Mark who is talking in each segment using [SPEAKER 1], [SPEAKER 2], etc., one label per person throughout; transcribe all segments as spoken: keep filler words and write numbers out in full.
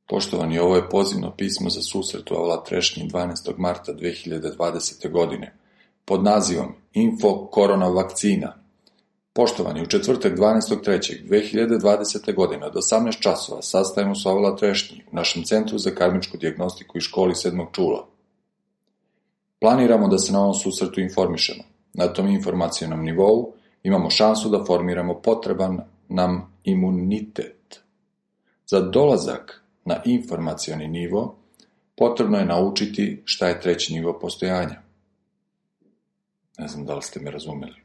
[SPEAKER 1] Poštovani, ovo je pozivno pismo za susret u Avala Trešnji dvanaestog marta dve hiljade dvadesete. godine pod nazivom Info korona vakcina. Poštovani, u četvrtak dvanaestog trećeg dve hiljade dvadesete. godine od osamnaest časova sastajemo se u Avala Trešnji u našem Centru za karmičku dijagnostiku i školi sedmog čula. Planiramo da se na ovom susretu informišemo. Na tom informacionom nivou imamo šansu da formiramo potreban nam imunitet. Za dolazak na informacioni nivo potrebno je naučiti šta je treći nivo postojanja. Ne znam da li ste me razumeli.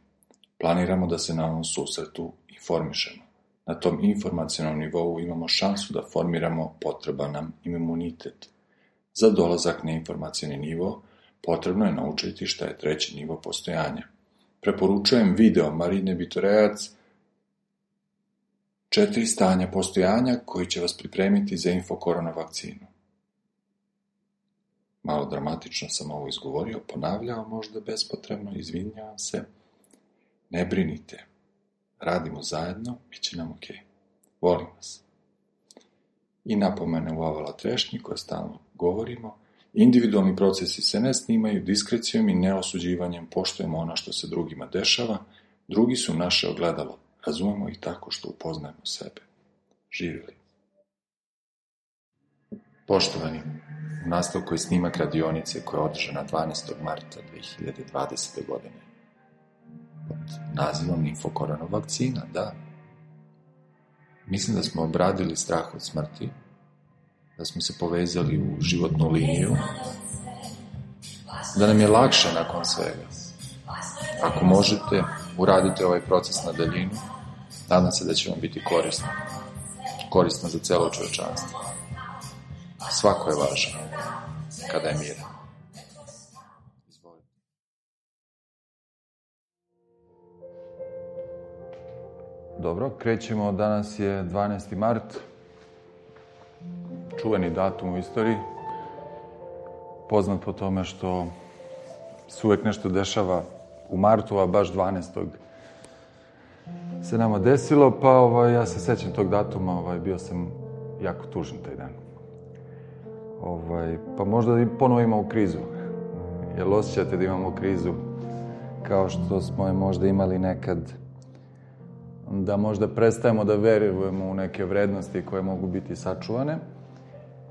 [SPEAKER 1] Planiramo da se na ovom susretu informišemo. Na tom informacionom nivou imamo šansu da formiramo potreban nam imunitet. Za dolazak na informacioni nivo potrebno je naučiti šta je treći nivo postojanja. Preporučujem video Marine Bitorejac Četiri stanja postojanja koji će vas pripremiti za info korona vakcinu. Malo dramatično sam ovo izgovorio, ponavljao možda bespotrebno, izvinjavam se. Ne brinite, radimo zajedno, bit će nam ok. Volim vas. I napomene u Avala Trešnji koje stalno govorimo, individualni procesi se ne snimaju diskrecijom i neosuđivanjem, poštujemo ono što se drugima dešava, drugi su naše ogledalo. Razumemo ih tako što upoznajemo sebe. Živjeli. Poštovani, u nastavku je snimak radionice koja je održana dvanaestog marta dve hiljade dvadesete. godine. Pod nazivom Info korona vakcina, da. Mislim da smo obradili strah od smrti, da smo se povezali u životnu liniju, da nam je lakše nakon svega. Ako možete, uradite ovaj proces na daljinu, nadam se da će vam biti korisno. Korisno za celo čovečanstvo. Svako je važan, kada je miran. Izvolite. Dobro, krećemo, danas je dvanaesti mart, čuveni datum u istoriji, poznat po tome što se uvek nešto dešava u martu, a baš dvanaestog se nama desilo, pa ovaj, ja se sećam tog datuma, ovaj, bio sam jako tužan taj dan. Ovaj, pa možda i ponovo imamo krizu. Jel osjećate da imamo krizu kao što smo je možda imali nekad, da možda prestajemo da verujemo u neke vrednosti koje mogu biti sačuvane,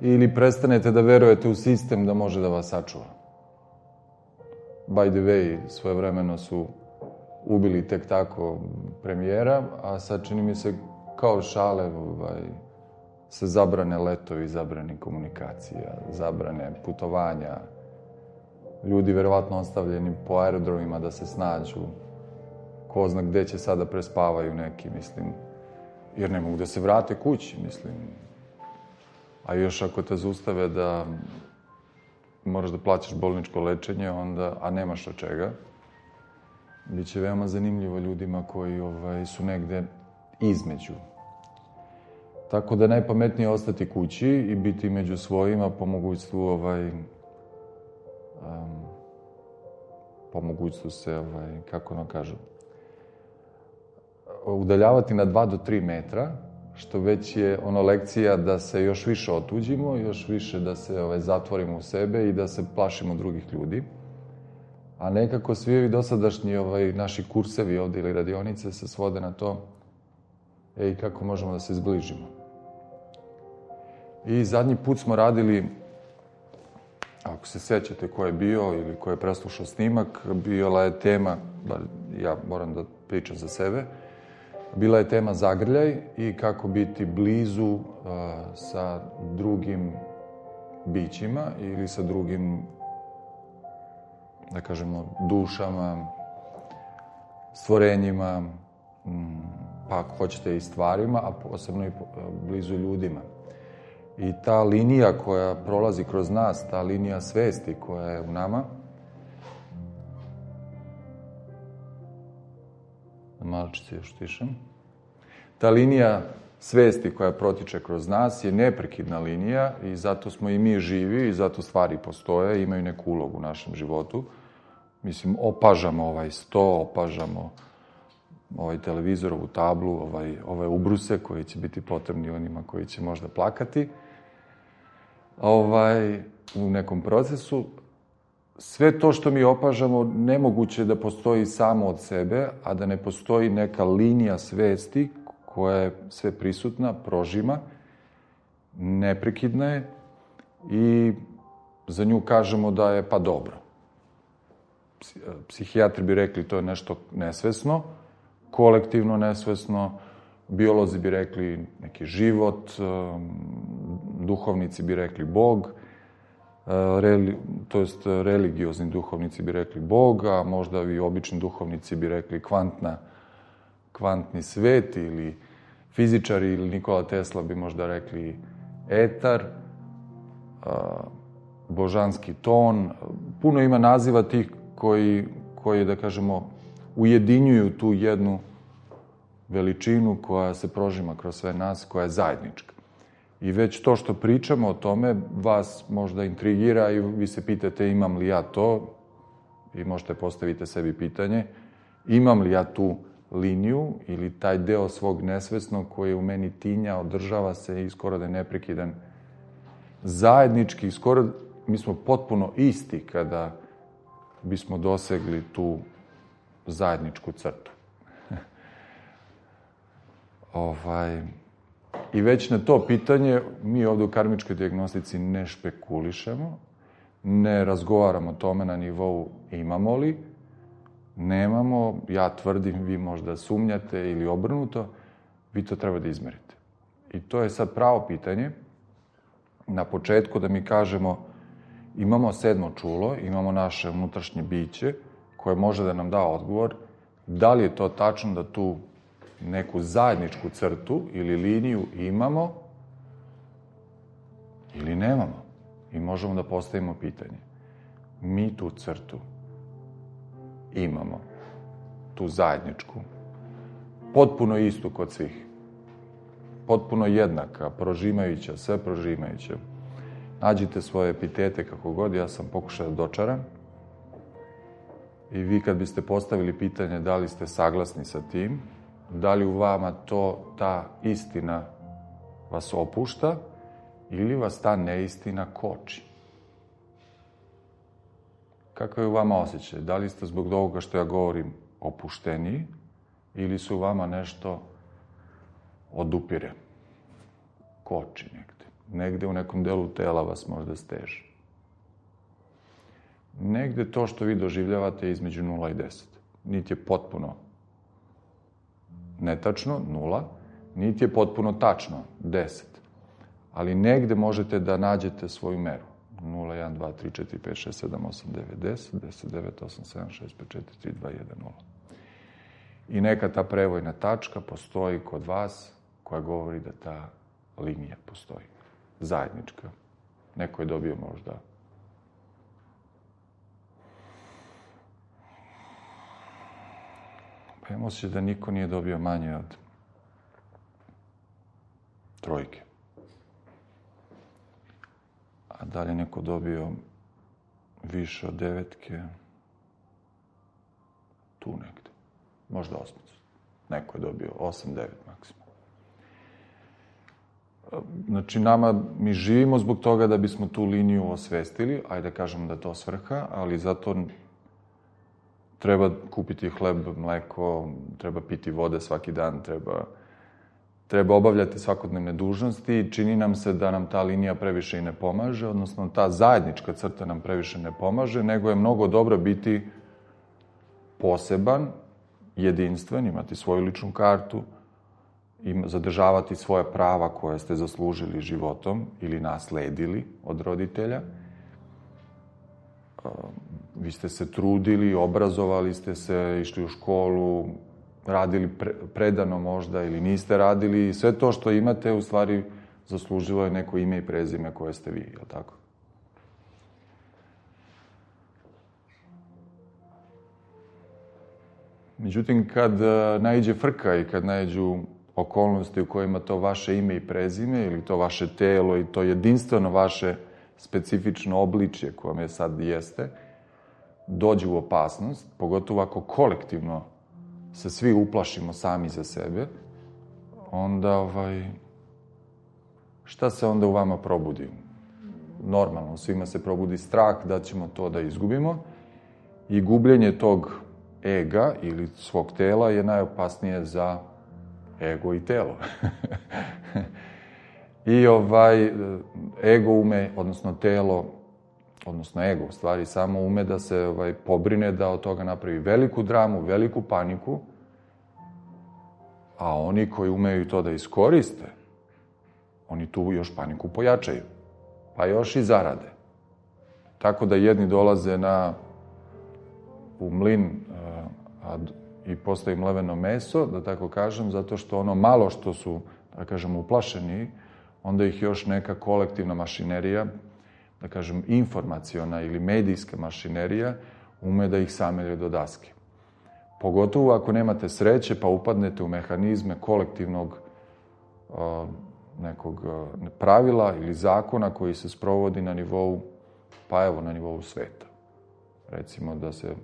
[SPEAKER 1] ili prestanete da verujete u sistem da može da vas sačuva. By the way, svojevremeno su ubili tek tako premijera, a sad čini mi se kao šale ovaj, se zabrane letovi, zabrane komunikacija, zabrane putovanja. Ljudi verovatno ostavljeni po aerodromima da se snađu. Ko zna gde će sada prespavaju neki, mislim, jer ne mogu da se vrate kući, mislim. A još ako te zaustave da moraš da plaćaš bolničko lečenje, onda, a nemaš od čega, biće veoma zanimljivo ljudima koji ovaj, su negde između. Tako da najpametnije je ostati kući i biti među svojima po mogućstvu, ovaj, um, po mogućstvu se, ovaj, kako ono kažu, udaljavati na dva do tri metra, što već je ono lekcija da se još više otuđimo, još više da se ovaj, zatvorimo u sebe i da se plašimo drugih ljudi. A nekako svi ovi dosadašnji ovaj, naši kursevi ovde ili radionice se svode na to ej, kako možemo da se zbližimo. I zadnji put smo radili, ako se sećate ko je bio ili ko je preslušao snimak, bila je tema, ja moram da pričam za sebe, bila je tema zagrljaj i kako biti blizu uh, sa drugim bićima ili sa drugim, da kažemo, dušama, stvorenjima, pa ako hoćete i stvarima, a posebno i blizu ljudima. I ta linija koja prolazi kroz nas, ta linija svesti koja je u nama, malčice još tišem, ta linija svesti koja protiče kroz nas je neprekidna linija i zato smo i mi živi i zato stvari postoje, imaju neku ulogu u našem životu. Mislim, opažamo ovaj sto, opažamo ovaj televizor, ovu tablu, ovaj, ove ubruse koji će biti potrebni onima koji će možda plakati. ovaj, u nekom procesu. Sve to što mi opažamo, nemoguće da postoji samo od sebe, a da ne postoji neka linija svesti koja je sve prisutna, prožima, neprekidna je i za nju kažemo da je pa dobro. Psihijatri bi rekli to je nešto nesvesno, kolektivno nesvesno, biolozi bi rekli neki život, duhovnici bi rekli Bog, Reli, to jest religiozni duhovnici bi rekli Bog, a možda i obični duhovnici bi rekli kvantna, kvantni svet ili fizičari ili Nikola Tesla bi možda rekli etar, božanski ton. Puno ima naziva tih koji, koji, da kažemo, ujedinjuju tu jednu veličinu koja se prožima kroz sve nas, koja je zajednička. I već to što pričamo o tome vas možda intrigira i vi se pitate imam li ja to, i možete postaviti sebi pitanje, imam li ja tu liniju ili taj deo svog nesvesnog koji je u meni tinja, održava se i skoro da je neprekidan. Zajednički, skoro mi smo potpuno isti kada bismo dosegli tu zajedničku crtu. ovaj... I već na to pitanje mi ovde u karmičkoj dijagnostici ne špekulišemo, ne razgovaramo o tome na nivou imamo li, nemamo, ja tvrdim, vi možda sumnjate ili obrnuto, vi to treba da izmerite. I to je sad pravo pitanje. Na početku da mi kažemo imamo sedmo čulo, imamo naše unutrašnje biće koje može da nam da odgovor da li je to tačno da tu neku zajedničku crtu ili liniju imamo ili nemamo. I možemo da postavimo pitanje. Mi tu crtu imamo, tu zajedničku, potpuno istu kod svih. Potpuno jednaka, prožimajuća, sve prožimajuća. Nađite svoje epitete kako god, ja sam pokušao da dočaram. I vi kad biste postavili pitanje da li ste saglasni sa tim, da li u vama to, ta istina vas opušta ili vas ta neistina koči? Kakav je u vama osjećaj? Da li ste zbog ovoga što ja govorim opušteniji ili su u vama nešto odupire, koči negde? Negde u nekom delu tela vas možda steže. Negde to što vi doživljavate je između nula i deset. Niti je potpuno netačno, nula, niti je potpuno tačno, deset. Ali negde možete da nađete svoju meru. nula, jedan, dva, tri, četiri, pet, šest, sedam, osam, devet, deset, deset, devet, osam, sedam, šest, pet, četiri, tri, dva, jedan, nula. I neka ta prevojna tačka postoji kod vas koja govori da ta linija postoji. Zajednička. Neko je dobio možda pa imam osjećaj da niko nije dobio manje od trojke. A da li je neko dobio više od devetke? Tu negde. Možda osmicu. Neko je dobio osam, devet maksimum. Znači, nama, mi živimo zbog toga da bismo tu liniju osvestili, ajde da kažemo da je to svrha, ali zato treba kupiti hleb, mleko, treba piti vode svaki dan, treba, treba obavljati svakodnevne dužnosti i čini nam se da nam ta linija previše i ne pomaže, odnosno ta zajednička crta nam previše ne pomaže, nego je mnogo dobro biti poseban, jedinstven, imati svoju ličnu kartu, i zadržavati svoja prava koje ste zaslužili životom ili nasledili od roditelja. Vi ste se trudili, obrazovali ste se, išli u školu, radili pre, predano možda ili niste radili. Sve to što imate, u stvari, zaslužilo je neko ime i prezime koje ste vi, je li tako? Međutim, kad naiđe frka i kad naiđu okolnosti u kojima to vaše ime i prezime ili to vaše telo i to jedinstveno vaše specifično obličje koje vam je sad jeste, dođe u opasnost, pogotovo ako kolektivno se svi uplašimo sami za sebe, onda ovaj, šta se onda u vama probudi? normalno, svima se probudi strah da ćemo to da izgubimo i gubljenje tog ega ili svog tela je najopasnije za ego i telo. I ovaj, ego ume, odnosno telo, odnosno ego, u stvari, samo ume da se ovaj, pobrine da od toga napravi veliku dramu, veliku paniku, a oni koji umeju to da iskoriste, oni tu još paniku pojačaju, pa još i zarade. Tako da jedni dolaze na, u mlin a, i postaju mleveno meso, da tako kažem, zato što ono malo što su, da kažem, uplašeni, onda ih još neka kolektivna mašinerija, da kažem, informaciona ili medijska mašinerija, ume da ih samelje do daske. Pogotovo ako nemate sreće, pa upadnete u mehanizme kolektivnog a, nekog a, pravila ili zakona koji se sprovodi na nivou, pa evo, na nivou sveta. Recimo da se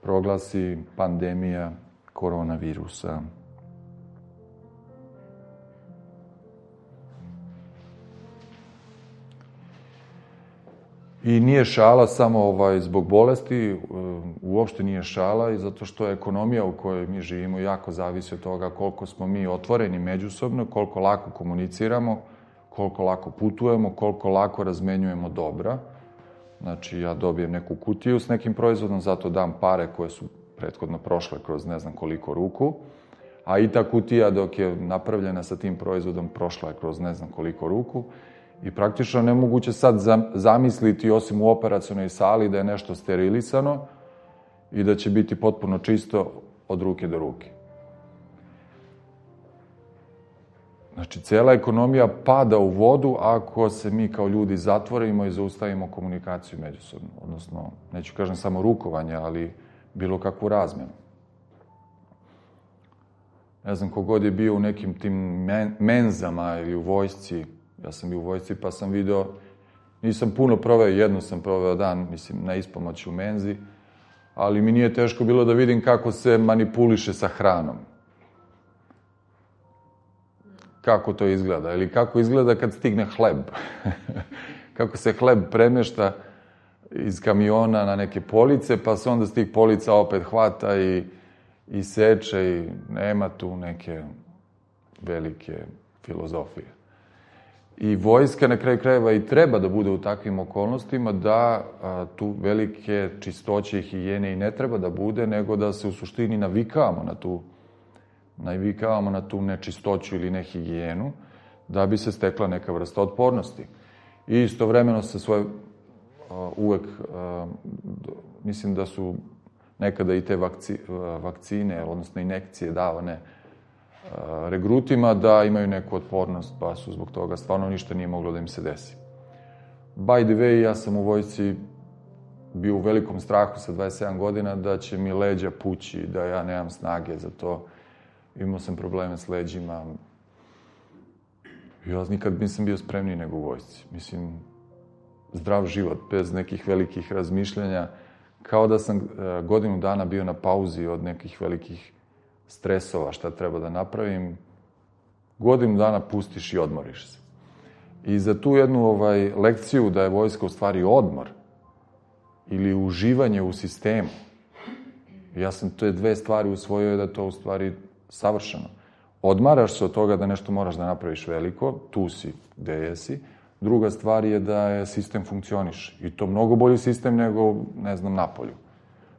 [SPEAKER 1] proglasi pandemija koronavirusa. I nije šala samo ovaj, zbog bolesti, uopšte nije šala i zato što ekonomija u kojoj mi živimo jako zavisi od toga koliko smo mi otvoreni međusobno, koliko lako komuniciramo, koliko lako putujemo, koliko lako razmenjujemo dobra. Znači, ja dobijem neku kutiju s nekim proizvodom, zato dam pare koje su prethodno prošle kroz ne znam koliko ruku, a i ta kutija dok je napravljena sa tim proizvodom prošla je kroz ne znam koliko ruku. I praktično nemoguće sad zamisliti, osim u operacionoj sali, da je nešto sterilisano i da će biti potpuno čisto od ruke do ruke. Znači, cela ekonomija pada u vodu ako se mi kao ljudi zatvorimo i zaustavimo komunikaciju međusobno. Odnosno, neću kažem samo rukovanje, ali bilo kakvu razmenu. Ne znam, kogod je bio u nekim tim menzama ili u vojsci. Ja sam bio u vojsci pa sam video, nisam puno proveo, jedno sam proveo dan, mislim, na ispomoći u menzi, ali mi nije teško bilo da vidim kako se manipuliše sa hranom. Kako to izgleda, ili kako izgleda kad stigne hleb. Kako se hleb premješta iz kamiona na neke police, pa se onda s tih polica opet hvata i, i seče i nema tu neke velike filozofije. I vojska na kraju krajeva i treba da bude u takvim okolnostima da a, tu velike čistoće i higijene i ne treba da bude, nego da se u suštini navikavamo na tu, navikavamo na tu nečistoću ili nehigijenu, da bi se stekla neka vrsta otpornosti. I istovremeno se svoje a, uvek, a, mislim da su nekada i te vakci, a, vakcine, odnosno injekcije davane regrutima da imaju neku otpornost, pa su zbog toga stvarno ništa nije moglo da im se desi. By the way, ja sam u vojsci bio u velikom strahu sa dvadeset sedam godina da će mi leđa pući, da ja nemam snage za to. Imao sam probleme s leđima. Ja nikad nisam bio spremniji nego u vojsci. Mislim, zdrav život, bez nekih velikih razmišljanja, kao da sam godinu dana bio na pauzi od nekih velikih stresova, šta treba da napravim, godinu dana pustiš i odmoriš se. I za tu jednu ovaj, lekciju da je vojska u stvari odmor ili uživanje u sistemu, ja sam te dve stvari usvojio da je to u stvari savršeno. Odmaraš se od toga da nešto moraš da napraviš veliko, tu si, gde jesi. Druga stvar je da je sistem funkcioniš. I to mnogo bolji sistem nego, ne znam, napolju.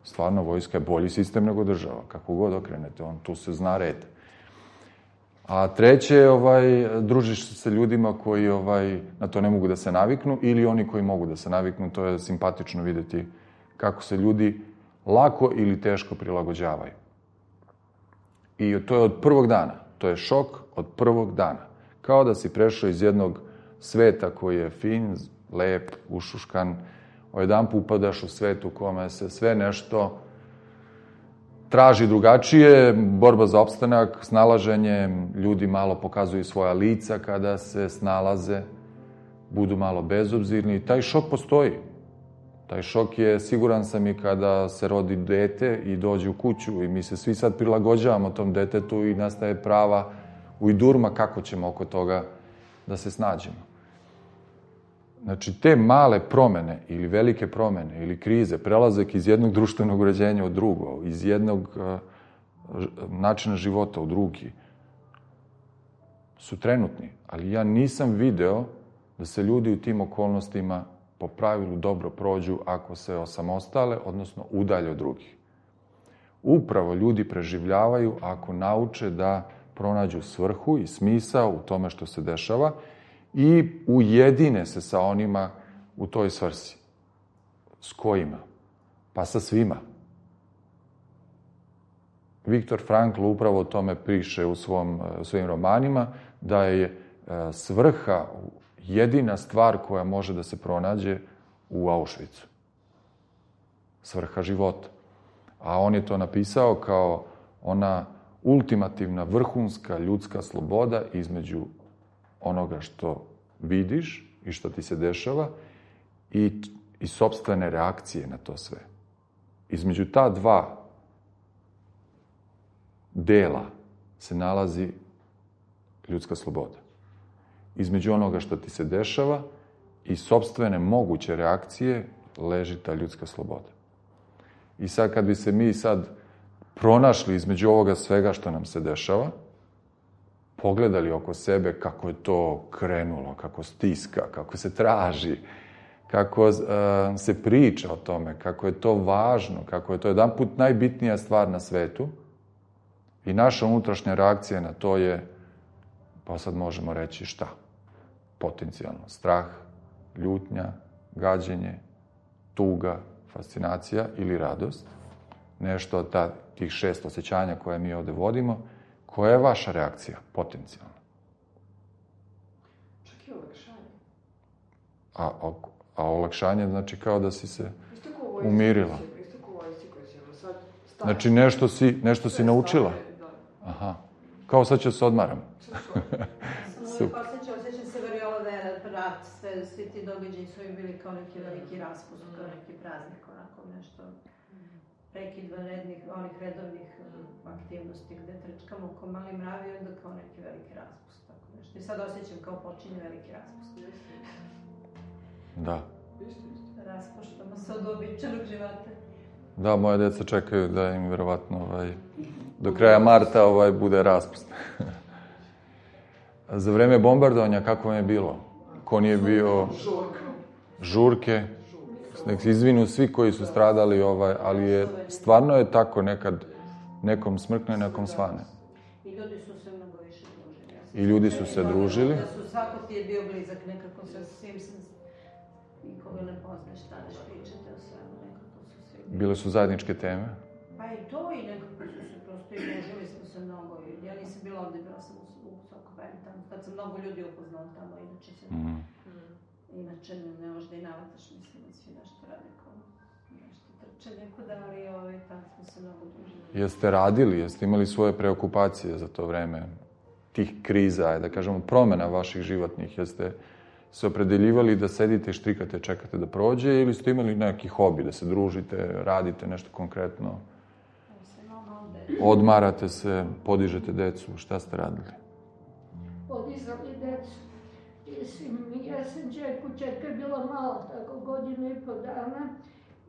[SPEAKER 1] Stvarno, vojska je bolji sistem nego država, kako god okrenete, on tu se zna red. A treće, ovaj, družiš se sa ljudima koji ovaj, na to ne mogu da se naviknu ili oni koji mogu da se naviknu, to je simpatično videti kako se ljudi lako ili teško prilagođavaju. I to je od prvog dana, to je šok od prvog dana. Kao da si prešao iz jednog sveta koji je fin, lep, ušuškan, jedan put upadaš u svet u kome se sve nešto traži drugačije, borba za opstanak, snalaženje, ljudi malo pokazuju svoja lica kada se snalaze, budu malo bezobzirni. Taj šok postoji. Taj šok je, siguran sam, i kada se rodi dete i dođe u kuću i mi se svi sad prilagođavamo tom detetu i nastaje prava ujdurma kako ćemo oko toga da se snađemo. Znači, te male promene ili velike promene ili krize, prelazak iz jednog društvenog uređenja u drugo, iz jednog uh, načina života u drugi, su trenutni. Ali ja nisam video da se ljudi u tim okolnostima po pravilu dobro prođu ako se osamostale, odnosno udalje od drugih. Upravo ljudi preživljavaju ako nauče da pronađu svrhu i smisao u tome što se dešava i ujedine se sa onima u toj svrsi. S kojima? Pa sa svima. Viktor Frankl upravo o tome piše u svom, svojim romanima, da je svrha jedina stvar koja može da se pronađe u Auschwitzu. Svrha života. A on je to napisao kao ona ultimativna, vrhunska ljudska sloboda između onoga što vidiš i što ti se dešava i, i sopstvene reakcije na to sve. Između ta dva dela se nalazi ljudska sloboda. Između onoga što ti se dešava i sopstvene moguće reakcije leži ta ljudska sloboda. I sad kad bi se mi sad pronašli između ovoga svega što nam se dešava, pogledali oko sebe kako je to krenulo, kako stiska, kako se traži, kako uh, se priča o tome, kako je to važno, kako je to jedanput najbitnija stvar na svetu i naša unutrašnja reakcija na to je, pa sad možemo reći šta? Potencijalno strah, ljutnja, gađenje, tuga, fascinacija ili radost. Nešto od ta, tih šest osjećanja koje mi ovde vodimo. Koja je vaša reakcija? Potencijalno.
[SPEAKER 2] Čak i olakšanje.
[SPEAKER 1] A, a, a olakšanje znači kao da si se umirila.
[SPEAKER 2] Isto ko vojsci koji će sad staviti.
[SPEAKER 1] Znači nešto si, nešto si naučila. Aha. Kao sad ću se odmaram.
[SPEAKER 3] Super. Posjeća, osjećam se variola da je rat, sve, svi ti događaji su im bili kao neki veliki raspust, kao neki praznik, onako nešto. Prekid vanrednih, onih redovnih aktivnosti gde trčkamo ko mali mravi, onda kao neki veliki raspust, tako nešto. I sad osjećam kao počinje veliki raspust.
[SPEAKER 1] Da.
[SPEAKER 3] Raspuštamo se od običajnog života.
[SPEAKER 1] Da, moje deca čekaju da im verovatno ovaj, do kraja marta ovaj, bude raspust. Za vreme bombardovanja kako vam je bilo? Ko nije bio? Žurke. Nek se izvinu svi koji su stradali, ovaj, ali je, stvarno je tako nekad nekom smrkne, nekom svane.
[SPEAKER 3] I ljudi su se mnogo više družili.
[SPEAKER 1] I ljudi su se družili.
[SPEAKER 3] Da su, svako ti je bio blizak, nekako sa svim se nikoga ne poznaš, staneš, pričate o svemu, nekako su svi bili.
[SPEAKER 1] Bile su zajedničke teme?
[SPEAKER 3] Pa i to, i nekako su se prosto i družili smo se mnogo. Ja nisam bila ovde, bila sam u, u Sokobani tamo, tad sam mnogo ljudi upoznala tamo, inače se... Mm. Inače, ne možda i navataš, mislim, da svi nešto rade kao nešto trčanje kuda, ali ovaj, tam smo se mnogo družili.
[SPEAKER 1] Jeste radili, jeste imali svoje preokupacije za to vreme, tih kriza, da kažemo, promena vaših životnih, jeste se opredeljivali da sedite i štrikate, čekate da prođe, ili ste imali neki hobi, da se družite, radite nešto konkretno, odmarate se, podižete decu, šta ste radili?
[SPEAKER 4] Podizali decu. Mislim, ja sam čerku, čerka je bila mala, tako godinu i po dana,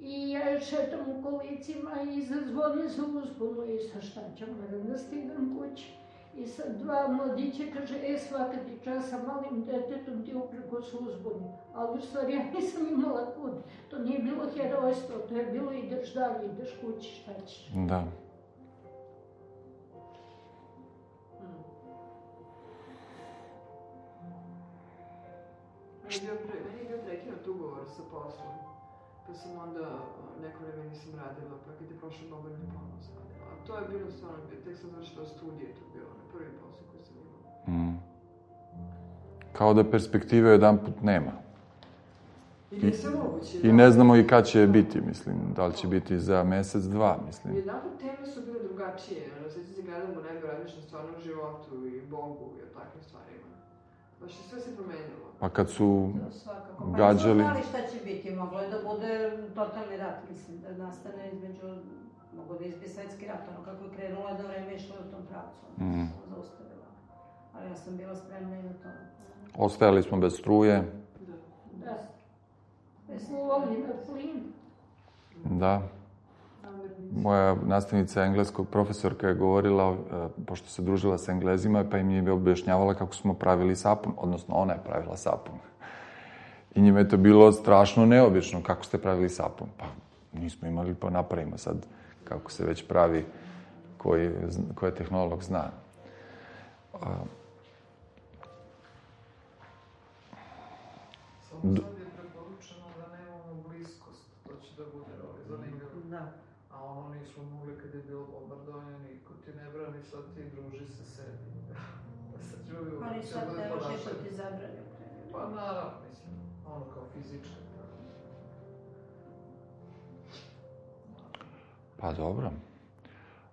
[SPEAKER 4] i ja šetam u kolicima i zazvoni za uzbunu i sa šta ću, moram da stigam kući. I sad dva mladića kaže, e, svaka ti čas sa malim detetom ti upreko su uzbuni. Ali u stvari ja nisam imala kud. To nije bilo herojstvo, to je bilo ideš dalje, ideš kući, šta ćeš.
[SPEAKER 1] Da.
[SPEAKER 2] Meni je bio prekinut ugovor sa poslom, pa sam onda neko vreme nisam radila, pa kad je prošlo dobro ne ponovno sam radila. A to je bilo stvarno, tek sam završila studije, to je bilo na prvi posao koji sam imala.
[SPEAKER 1] Mm. Kao da perspektive jedan put nema.
[SPEAKER 2] I nije sve moguće.
[SPEAKER 1] I ne znamo i kad će biti, mislim, da li će biti za mesec, dva, mislim.
[SPEAKER 2] I jedan put teme su bile drugačije, ono, sad se gledam u nebo, razmišljam stvarno o životu i Bogu i o takvim stvarima. Baš je sve se promenilo.
[SPEAKER 1] Pa kad su
[SPEAKER 3] svakako.
[SPEAKER 1] gađali...
[SPEAKER 3] Pa nismo znali šta će biti, moglo je da bude totalni rat, mislim, da nastane između, mogo da izbije svetski rat, ono kako je krenulo da vreme išlo u tom pravcu, ono mm. se zaustavila. Ali ja sam bila spremna i na to.
[SPEAKER 1] Ostajali smo bez struje.
[SPEAKER 2] Da.
[SPEAKER 3] Da.
[SPEAKER 4] voli na plin.
[SPEAKER 1] Da. Moja nastavnica engleskog profesorka je govorila, pošto se družila s Englezima, pa im je objašnjavala kako smo pravili sapun, odnosno ona je pravila sapun. I njima je to bilo strašno neobično, kako ste pravili sapun. Pa nismo imali, pa napravimo sad kako se već pravi, koji, koji tehnolog zna.
[SPEAKER 2] Samo sad je preporučeno da nemamo bliskost, to će da bude zanimljivo.
[SPEAKER 3] Da.
[SPEAKER 2] A ono nismo mogli kad je bilo bombardovanje, niko ti ne brani, sad ti druži se sebi. Da se čuju...
[SPEAKER 3] Ali sad ne može što ti zabrani.
[SPEAKER 2] Pa naravno, mislim, ono kao fizička.
[SPEAKER 1] Pa dobro.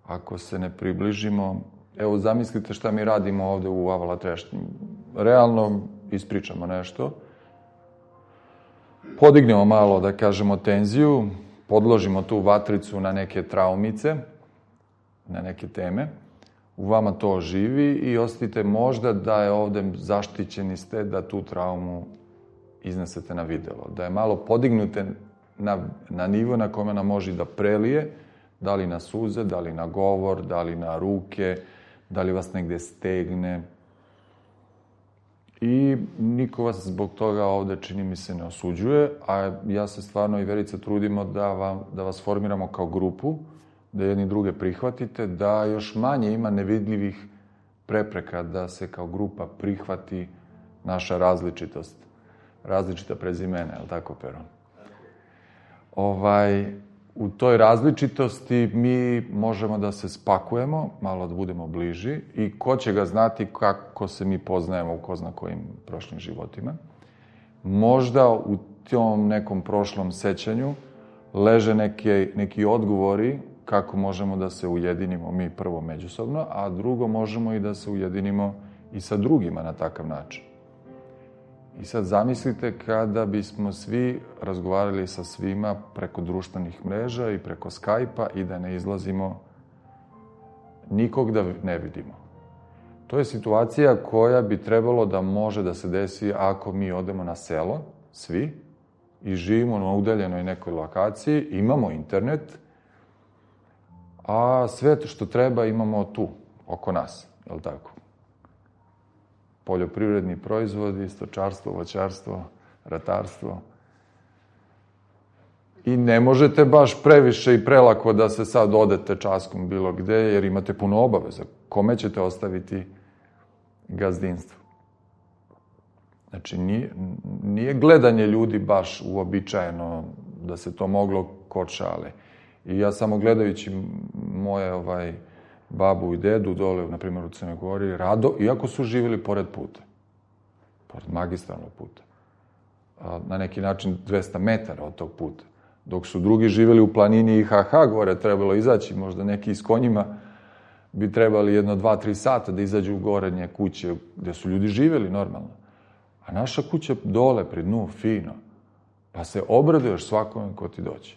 [SPEAKER 1] Ako se ne približimo... Evo, zamislite šta mi radimo ovde u Avala Trešnji. Realno ispričamo nešto, podignemo malo, da kažemo, tenziju, podložimo tu vatricu na neke traumice, na neke teme, u vama to živi i osetite možda da je ovde zaštićeni ste da tu traumu iznesete na videlo, da je malo podignute na, na nivo na kome nam može da prelije, da li na suze, da li na govor, da li na ruke, da li vas negde stegne. I niko vas zbog toga ovde, čini mi se, ne osuđuje, a ja se stvarno i Verica trudimo da, vam, da vas formiramo kao grupu, da jedni druge prihvatite, da još manje ima nevidljivih prepreka da se kao grupa prihvati naša različitost. Različita prezimena, je li tako, Pero? Ovaj, u toj različitosti mi možemo da se spakujemo, malo da budemo bliži i ko će ga znati kako se mi poznajemo u ko zna kojim prošlim životima. Možda u tom nekom prošlom sećanju leže neke, neki odgovori kako možemo da se ujedinimo mi prvo međusobno, a drugo možemo i da se ujedinimo i sa drugima na takav način. I sad zamislite kada bismo svi razgovarali sa svima preko društvenih mreža i preko Skype-a i da ne izlazimo, nikog da ne vidimo. To je situacija koja bi trebalo da može da se desi ako mi odemo na selo, svi, i živimo na udaljenoj nekoj lokaciji, imamo internet, a sve što treba imamo tu, oko nas, je li tako? Poljoprivredni proizvodi, stočarstvo, voćarstvo, ratarstvo. I ne možete baš previše i prelako da se sad odete časkom bilo gde, jer imate puno obaveza. Kome ćete ostaviti gazdinstvo? Znači, nije, nije gledanje ljudi baš uobičajeno da se to moglo kod šale. I ja samo gledajući moje ovaj, babu i dedu dole, na primjer u Crnoj Gori, rado, iako su živjeli pored puta, pored magistralnog puta, na neki način dvesta metara od tog puta, dok su drugi živjeli u planini i ha ha gore, trebalo izaći, možda neki s konjima bi trebali jedno, dva, tri sata da izađu u gorenje kuće gde su ljudi živjeli normalno. A naša kuća dole, pri dnu, fino, pa se obraduješ svakome ko ti dođe.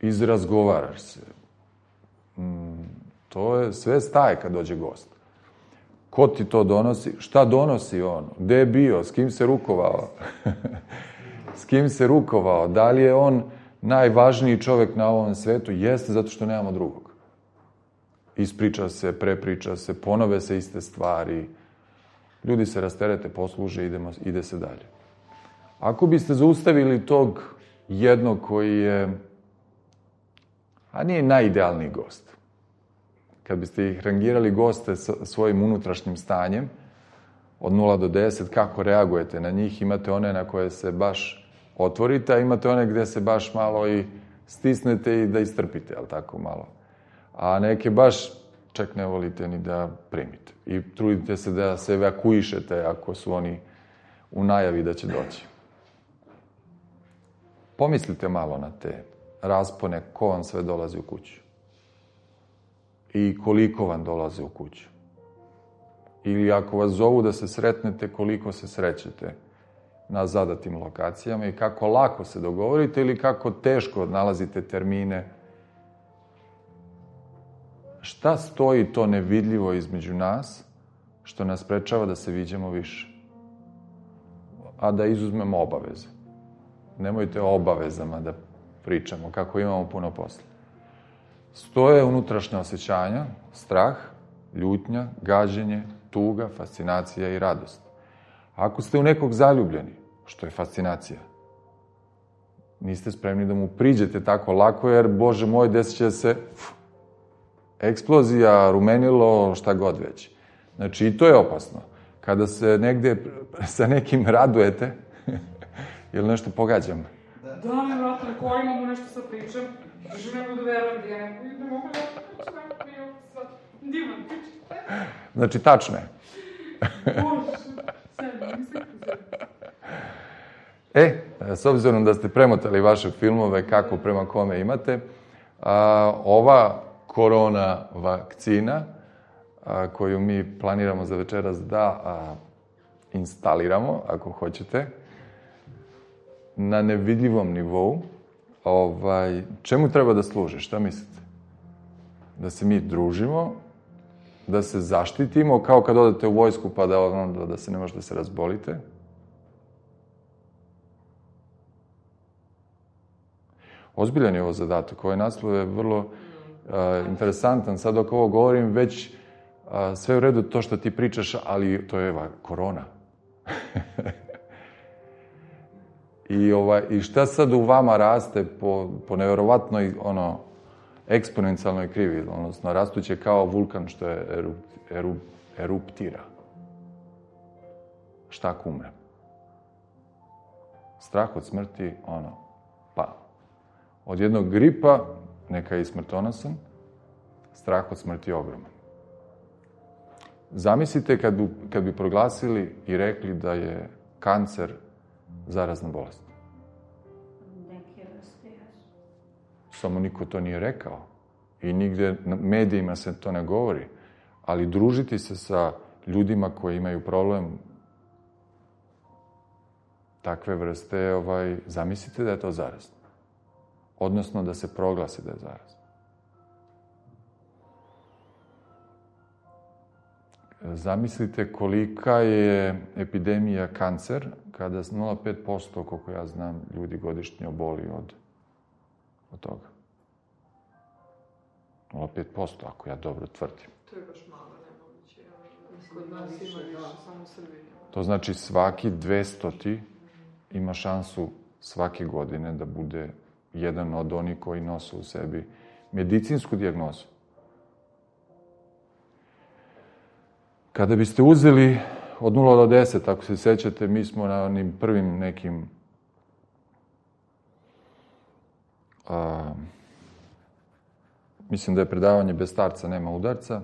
[SPEAKER 1] Izrazgovaraš se. Mm, to je sve staje kad dođe gost. Ko ti to donosi? Šta donosi on? Gde je bio? S kim se rukovao? S kim se rukovao? Da li je on najvažniji čovek na ovom svetu? Jeste, zato što nemamo drugog. Ispriča se, prepriča se, ponove se iste stvari. Ljudi se rasterete, posluže, idemo, ide se dalje. Ako biste zaustavili tog jednog koji je, a nije najidealniji gost, kad biste ih rangirali goste sa svojim unutrašnjim stanjem, od nula do deset, kako reagujete na njih, imate one na koje se baš otvorite, a imate one gde se baš malo i stisnete i da istrpite, ali tako malo. A neke baš čak ne volite ni da primite. I trudite se da se evakuišete ako su oni u najavi da će doći. Pomislite malo na te raspone, ko vam sve dolazi u kuću. I koliko vam dolaze u kuću. Ili ako vas zovu da se sretnete, koliko se srećete na zadatim lokacijama i kako lako se dogovorite ili kako teško nalazite termine. Šta stoji to nevidljivo između nas, što nas sprečava da se viđamo više? A da izuzmemo obaveze. nemojte o obavezama da pričamo, kako imamo puno posla. Stoje unutrašnja osjećanja, strah, ljutnja, gađenje, tuga, fascinacija i radost. Ako ste u nekog zaljubljeni, što je fascinacija, niste spremni da mu priđete tako lako, jer, Bože moj, desit će se pf, eksplozija, rumenilo, šta god već. Znači, i to je opasno. Kada se negde sa nekim radujete, ili nešto pogađam?
[SPEAKER 5] Da, da, ne, vrata, na koji imamo nešto sa pričam, držu ne mogu da verujem da ja ne mogu da pričam, ne mogu da divan pričam.
[SPEAKER 1] Znači, tačno je.
[SPEAKER 5] Bože, sve, mislim se.
[SPEAKER 1] E, s obzirom da ste premotali vaše filmove, kako prema kome imate, a, ova korona vakcina, a, koju mi planiramo za večeras da a, instaliramo, ako hoćete, na nevidljivom nivou, ovaj, čemu treba da služi? Šta mislite? Da se mi družimo, da se zaštitimo, kao kad odete u vojsku pa da, onda, da se ne možete da se razbolite? Ozbiljan je ovo zadatak. Ovaj naslov je vrlo uh, interesantan. Sad dok ovo govorim, već uh, sve u redu to što ti pričaš, ali to je eva, korona. I, ovaj, I šta sad u vama raste po, po nevjerovatnoj, ono, eksponencijalnoj krivi, odnosno rastuće kao vulkan što je eru, eru, eruptira. Šta ako umre? Strah od smrti, ono, pa. Od jednog gripa, neka je i smrtonosan, strah od smrti je ogroman. Zamislite kad bi, kad bi proglasili i rekli da je kancer zarazna bolest.
[SPEAKER 3] Neke vrste jesu.
[SPEAKER 1] Samo niko to nije rekao. I nigde na medijima se to ne govori. Ali družiti se sa ljudima koji imaju problem takve vrste, ovaj, zamislite da je to zarazno. Odnosno da se proglasi da je zarazno. Zamislite kolika je epidemija kancer, kada nula zarez pet posto, koliko ja znam, ljudi godišnje oboli od, od toga. nula zarez pet posto, ako ja dobro tvrdim.
[SPEAKER 2] To je baš malo, nemoguće. Kod nas ima više, samo u Srbiji.
[SPEAKER 1] To znači svaki dvestoti ima šansu svake godine da bude jedan od onih koji nose u sebi medicinsku dijagnozu. Kada biste uzeli od nula do deset, ako se sećate, mi smo na onim prvim nekim a, mislim da je predavanje bez starca nema udarca,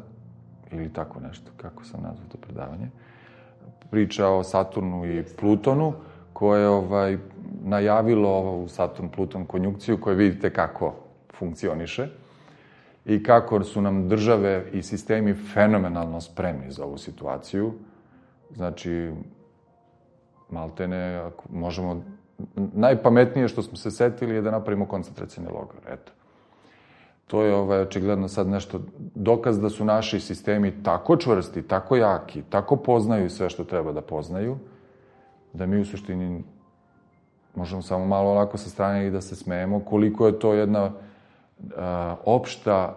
[SPEAKER 1] ili tako nešto, kako sam nazvao to predavanje, priča o Saturnu i Plutonu, koje je ovaj, najavilo ovu Saturn-Pluton konjunkciju, koje vidite kako funkcioniše i kako su nam države i sistemi fenomenalno spremni za ovu situaciju. Znači, maltene, ako možemo, najpametnije što smo se setili je da napravimo koncentracioni logor, eto. To je ovaj, očigledno sad nešto dokaz da su naši sistemi tako čvrsti, tako jaki, tako poznaju sve što treba da poznaju, da mi u suštini možemo samo malo onako sa strane i da se smejemo koliko je to jedna a, opšta,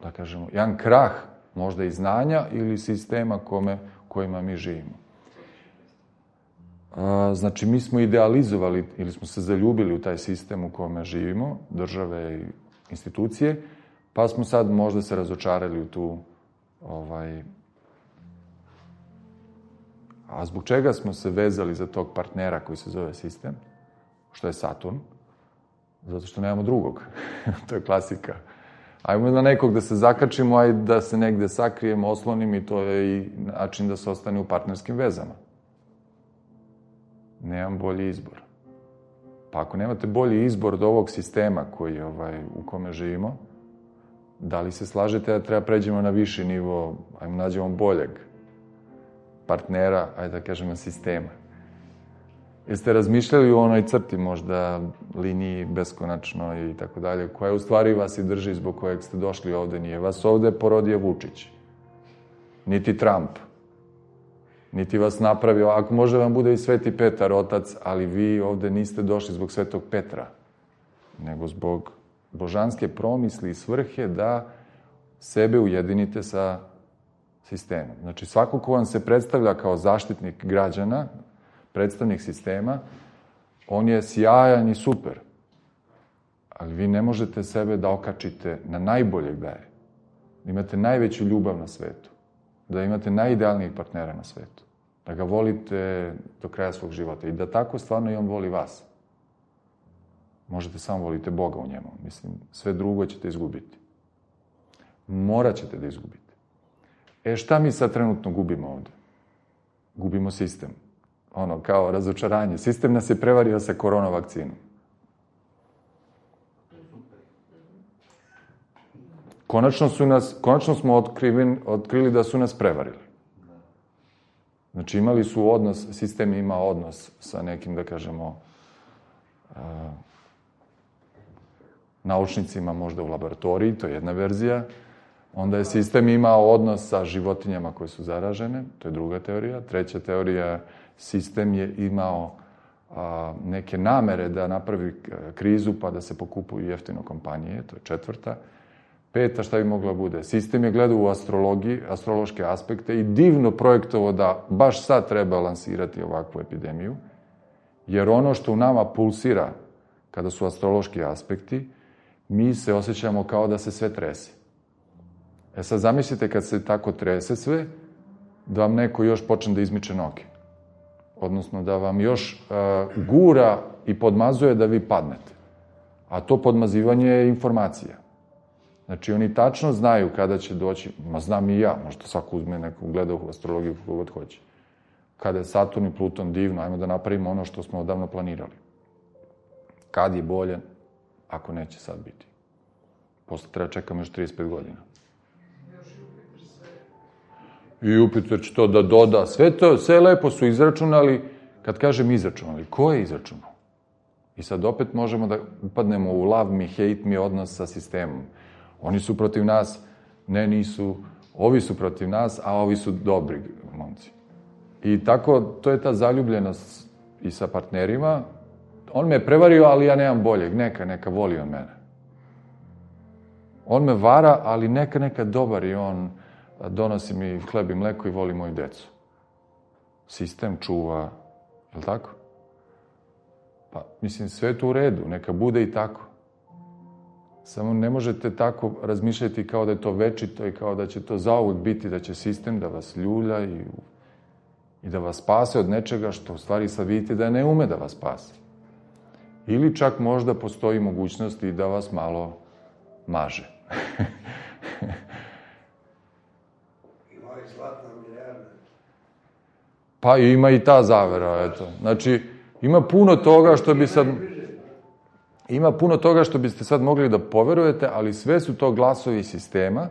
[SPEAKER 1] da kažemo, jedan krah možda i znanja ili sistema kome, kojima mi živimo. A, znači, mi smo idealizovali ili smo se zaljubili u taj sistem u kome živimo, države i institucije, pa smo sad možda se razočarali u tu ovaj, a zbog čega smo se vezali za tog partnera koji se zove sistem, što je Saturn? Zato što nemamo drugog. To je klasika. Ajmo na nekog da se zakačimo, a i da se negde sakrijemo, oslonimo i to je i način da se ostane u partnerskim vezama. Nemam bolji izbor. Pa ako nemate bolji izbor od ovog sistema koji, ovaj, u kome živimo, da li se slažete da treba pređemo na viši nivo, ajmo nađemo boljeg partnera, ajde da kažemo sistema. Jeste razmišljali u onoj crti, možda liniji beskonačno i tako dalje, koja u stvari vas i drži zbog kojeg ste došli ovde? Nije vas ovde porodio Vučić, niti Trump, niti vas napravio, ako može vam bude i Sveti Petar, otac, ali vi ovde niste došli zbog Svetog Petra, nego zbog božanske promisli i svrhe da sebe ujedinite sa sistemom. Znači, svako ko vam se predstavlja kao zaštitnik građana, predstavnik sistema, on je sjajan i super. Ali vi ne možete sebe da okačite na najboljeg da je. Da imate najveću ljubav na svetu. Da imate najidealnijeg partnera na svetu. Da ga volite do kraja svog života. I da tako stvarno i on voli vas. Možete samo volite Boga u njemu. Mislim, sve drugo ćete izgubiti. Morat ćete da izgubite. E, šta mi sad trenutno gubimo ovde? Gubimo sistem. Ono, kao razočaranje. Sistem nas je prevario sa korona vakcinom. Konačno, su nas, konačno smo otkrili, otkrili da su nas prevarili. Znači, imali su odnos, sistem ima odnos sa nekim, da kažemo, uh, naučnicima možda u laboratoriji, to je jedna verzija. Onda je sistem imao odnos sa životinjama koje su zaražene, to je druga teorija. Treća teorija, sistem je imao a, neke namere da napravi krizu pa da se pokupuju jeftino kompanije, to je četvrta. Peta, šta bi mogla bude? Sistem je gledao u astrologiji, astrološke aspekte i divno projektovao da baš sad treba lansirati ovakvu epidemiju, jer ono što u nama pulsira kada su astrološki aspekti, mi se osjećamo kao da se sve trese. E sad zamislite kad se tako trese sve, da vam neko još počne da izmiče noge. Odnosno da vam još uh, gura i podmazuje da vi padnete. A to podmazivanje je informacija. Znači oni tačno znaju kada će doći, ma znam i ja, možda svako uzme neku gleda u astrologiju kako god hoće. Kada je Saturn i Pluton divno, ajmo da napravimo ono što smo odavno planirali. Kad je bolje, ako neće sad biti. Posle treba čekamo još trideset pet godina. I Jupiter će to da doda. Sve to, sve lepo su izračunali. Kad kažem izračunali, ko je izračunao? I sad opet možemo da upadnemo u love me, hate me odnos sa sistemom. Oni su protiv nas, ne nisu, ovi su protiv nas, a ovi su dobri momci. I tako, to je ta zaljubljenost i sa partnerima. On me je prevario, ali ja nemam boljeg. Neka, neka voli on mene. On me vara, ali neka, neka dobar i on donosi mi hleb i mleko i voli moju decu. Sistem čuva, je li tako? Pa, mislim, sve je to u redu, neka bude i tako. Samo ne možete tako razmišljati kao da je to večito i kao da će to zauvek biti, da će sistem da vas ljulja i, i da vas spase od nečega što u stvari sad vidite da ne ume da vas spase. Ili čak možda postoji mogućnost i da vas malo maže.
[SPEAKER 6] Ima i zlatna milijarda.
[SPEAKER 1] Pa ima i ta zavera, eto. Znači, ima puno toga što bi sad... Ima puno toga što biste sad mogli da poverujete, ali sve su to glasovi sistema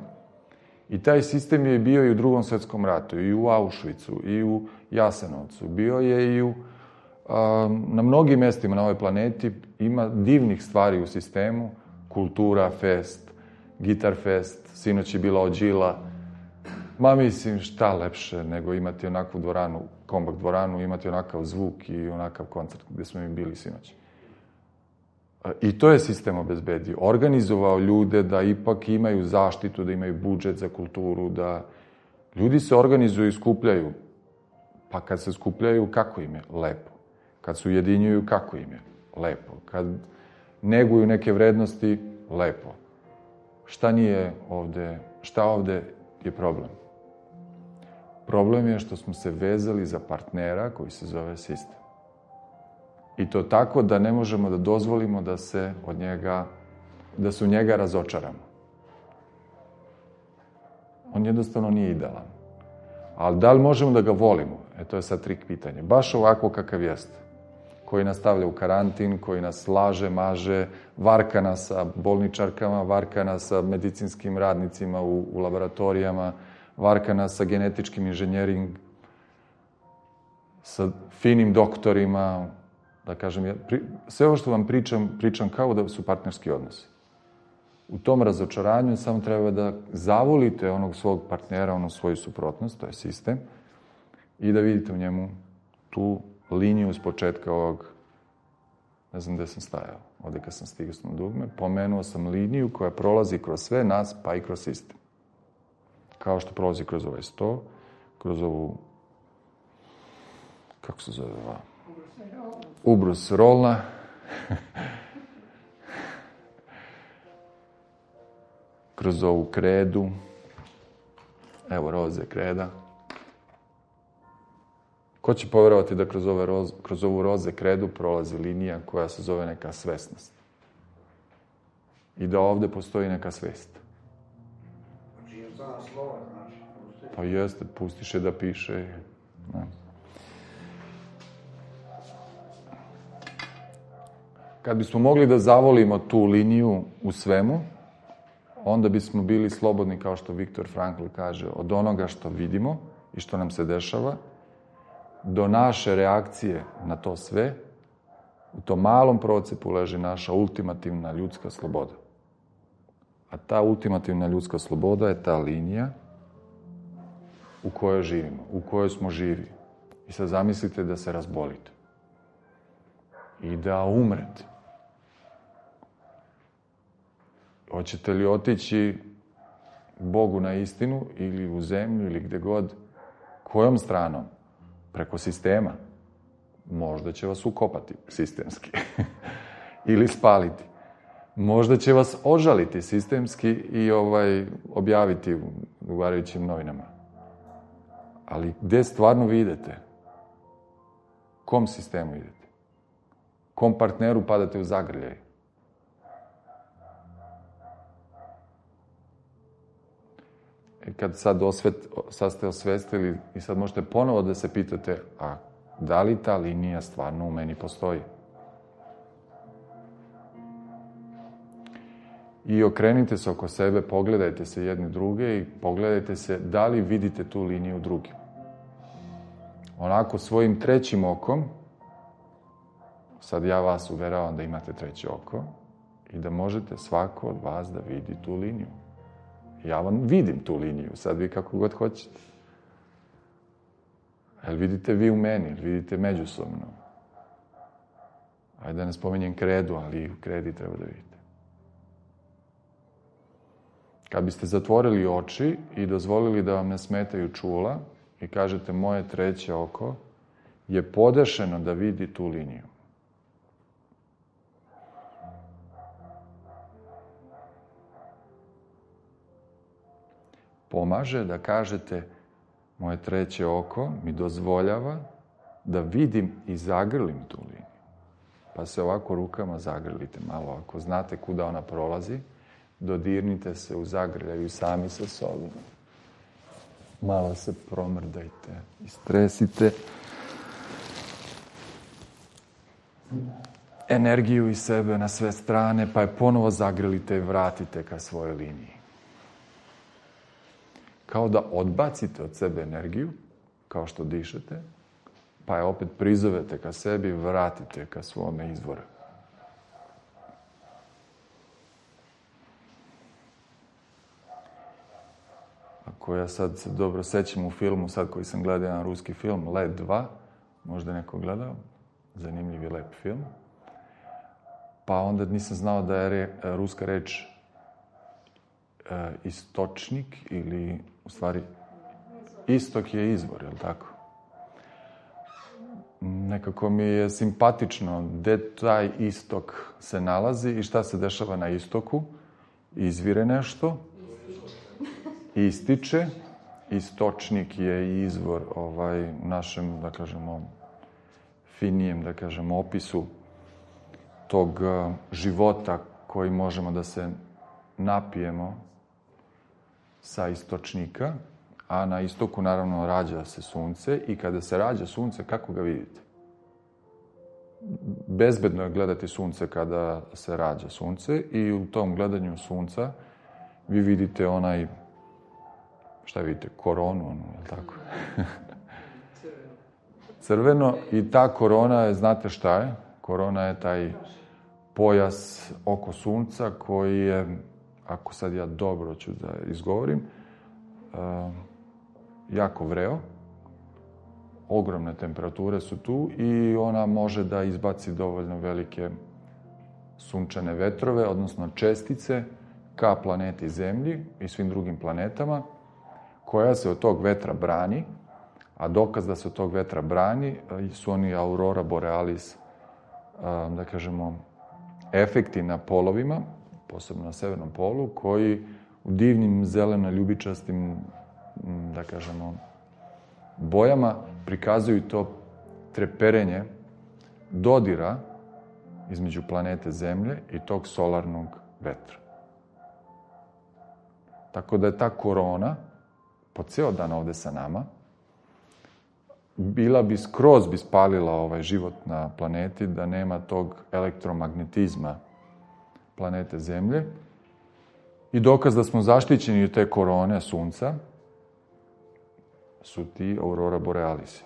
[SPEAKER 1] i taj sistem je bio i u Drugom svetskom ratu, i u Auschwitzu, i u Jasenovcu. Bio je i u, a, na mnogim mestima na ovoj planeti. Ima divnih stvari u sistemu. Kultura fest, gitar fest, sinoć je bila Ođila. Ma mislim, šta lepše nego imati onakvu dvoranu, kombak dvoranu, imati onakav zvuk i onakav koncert gde smo mi bili sinoć. I to je sistem obezbedio. Organizovao ljude da ipak imaju zaštitu, da imaju budžet za kulturu, da ljudi se organizuju i skupljaju. Pa kad se skupljaju, kako im je? Lepo. Kad se ujedinjuju, kako im je? Lepo. Kad neguju neke vrednosti, lepo. Šta nije ovde, šta ovde je problem? Problem je što smo se vezali za partnera koji se zove sistem. I to tako da ne možemo da dozvolimo da se od njega, da se u njega razočaramo. On jednostavno nije idealan. Ali da li možemo da ga volimo? E, to je sad trik pitanje. Baš ovako kakav jeste. Koji nas stavlja u karantin, koji nas laže, maže, varka nas sa bolničarkama, varka nas sa medicinskim radnicima u, u laboratorijama, varka nas sa genetičkim inženjering, sa finim doktorima, da kažem, ja, pri, sve ovo što vam pričam, pričam kao da su partnerski odnosi. U tom razočaranju samo treba da zavolite onog svog partnera, onu svoju suprotnost, to je sistem, i da vidite u njemu tu liniju s početka ovog, ne znam gde sam stajao, ovde kad sam stigao na dugme, pomenuo sam liniju koja prolazi kroz sve nas, pa i kroz sistem. Kao što prolazi kroz ovaj sto, kroz ovu, kako se zove ova? Ubrus rolna. Kroz ovu kredu. Evo roze kreda. Ko će povjerovati da kroz, ove roz, kroz ovu roze kredu prolazi linija koja se zove neka svesnost? I da ovde postoji neka svest.
[SPEAKER 6] Znači je zna slova, znači.
[SPEAKER 1] Pa jeste, pustiš je da piše. Ne. Kad bismo mogli da zavolimo tu liniju u svemu, onda bismo bili slobodni, kao što Viktor Frankl kaže, od onoga što vidimo i što nam se dešava, do naše reakcije na to sve, u tom malom procepu leži naša ultimativna ljudska sloboda. A ta ultimativna ljudska sloboda je ta linija u kojoj živimo, u kojoj smo živi. I sad zamislite da se razbolite i da umrete. Hoćete li otići Bogu na istinu ili u zemlju ili gde god? Kojom stranom? Preko sistema. Možda će vas ukopati sistemski. Ili spaliti. Možda će vas ožaliti sistemski i ovaj, objaviti u odgovarajućim novinama. Ali gde stvarno vi idete? Kom sistemu idete? Kom partneru padate u zagrljaj? I kad sad, osvet, sad ste osvestili i sad možete ponovo da se pitate, a da li ta linija stvarno u meni postoji? I okrenite se oko sebe, pogledajte se jedni druge i pogledajte se da li vidite tu liniju drugim. Onako svojim trećim okom, sad ja vas uveravam da imate treće oko i da možete svako od vas da vidi tu liniju. Ja vam vidim tu liniju, sad vi kako god hoćete. Jel vidite vi u meni, jel vidite međusobno? Ajde da ne spominjem kredu, ali i u kredi treba da vidite. Kad biste zatvorili oči i dozvolili da vam ne smetaju čula i kažete moje treće oko je podešeno da vidi tu liniju. Pomaže da kažete moje treće oko mi dozvoljava da vidim i zagrlim tu liniju. Pa se ovako rukama zagrlite malo. Ako znate kuda ona prolazi, dodirnite se u zagrljaju sami sa sobom. Malo se promrdajte, istresite energiju iz sebe na sve strane, pa je ponovo zagrlite i vratite ka svojoj liniji. Kao da odbacite od sebe energiju, kao što dišete, pa je opet prizovete ka sebi i vratite ka svome izvoru. Ako ja sad se dobro sećam u filmu, sad koji sam gledao jedan ruski film, Led dva, možda neko gledao, zanimljiv i lep film, pa onda nisam znao da je re, ruska reč e, istočnik ili, u stvari, istok je izvor, je li tako? Nekako mi je simpatično gde taj istok se nalazi i šta se dešava na istoku. Izvire nešto, ističe, istočnik je izvor ovaj, u našem, da kažemo, finijem, da kažemo, opisu tog života koji možemo da se napijemo sa istočnika, a na istoku naravno rađa se sunce i kada se rađa sunce, kako ga vidite? Bezbedno je gledati sunce kada se rađa sunce i u tom gledanju sunca vi vidite onaj, šta vidite, koronu, ono, je li tako? Crveno. I ta korona je, znate šta je? Korona je taj pojas oko sunca koji je, ako sad ja dobro ću da izgovorim, uh, jako vreo ogromne temperature su tu i ona može da izbaci dovoljno velike sunčane vetrove, odnosno čestice, ka planeti Zemlji i svim drugim planetama, koja se od tog vetra brani, a dokaz da se od tog vetra brani su oni aurora borealis, da kažemo, efekti na polovima, posebno na severnom polu, koji u divnim zeleno-ljubičastim, da kažemo, bojama prikazuju to treperenje dodira između planete Zemlje i tog solarnog vetra. Tako da je ta korona, po ceo dan ovde sa nama, bila bi skroz bi spalila ovaj život na planeti da nema tog elektromagnetizma planete Zemlje. I dokaz da smo zaštićeni od te korone Sunca su ti aurora borealisi.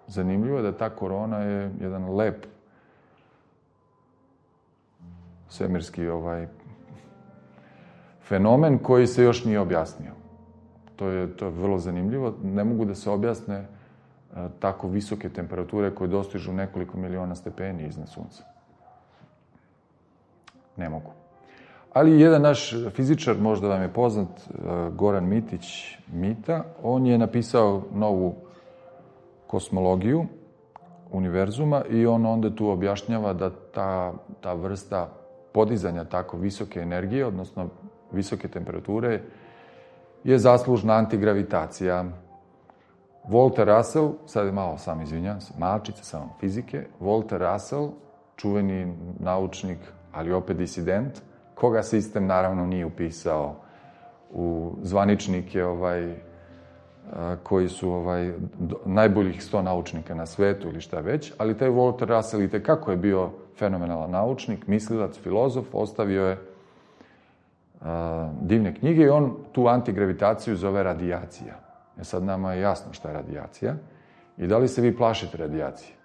[SPEAKER 1] Zanimljivo je da ta korona je jedan lep svemirski ovaj fenomen koji se još nije objasnio. To je, to je vrlo zanimljivo. Ne mogu da se objasne e, tako visoke temperature koje dostižu nekoliko miliona stepeni iznad Sunca. Ne mogu. Ali jedan naš fizičar, možda vam je poznat, Goran Mitić Mita, on je napisao novu kosmologiju univerzuma i on onda tu objašnjava da ta, ta vrsta podizanja tako visoke energije, odnosno visoke temperature, je zaslužna antigravitacija. Walter Russell, sad je malo sam izvinjam se, malčice samo fizike, Walter Russell, čuveni naučnik, ali opet disident, koga sistem naravno nije upisao u zvaničnike ovaj, koji su ovaj, najboljih sto naučnika na svetu ili šta već, ali taj Walter Russell i tekako je bio fenomenalan naučnik, mislilac, filozof, ostavio je a, divne knjige i on tu antigravitaciju zove radijacija. E sad nama je jasno šta je radijacija i da li se vi plašite radijacije?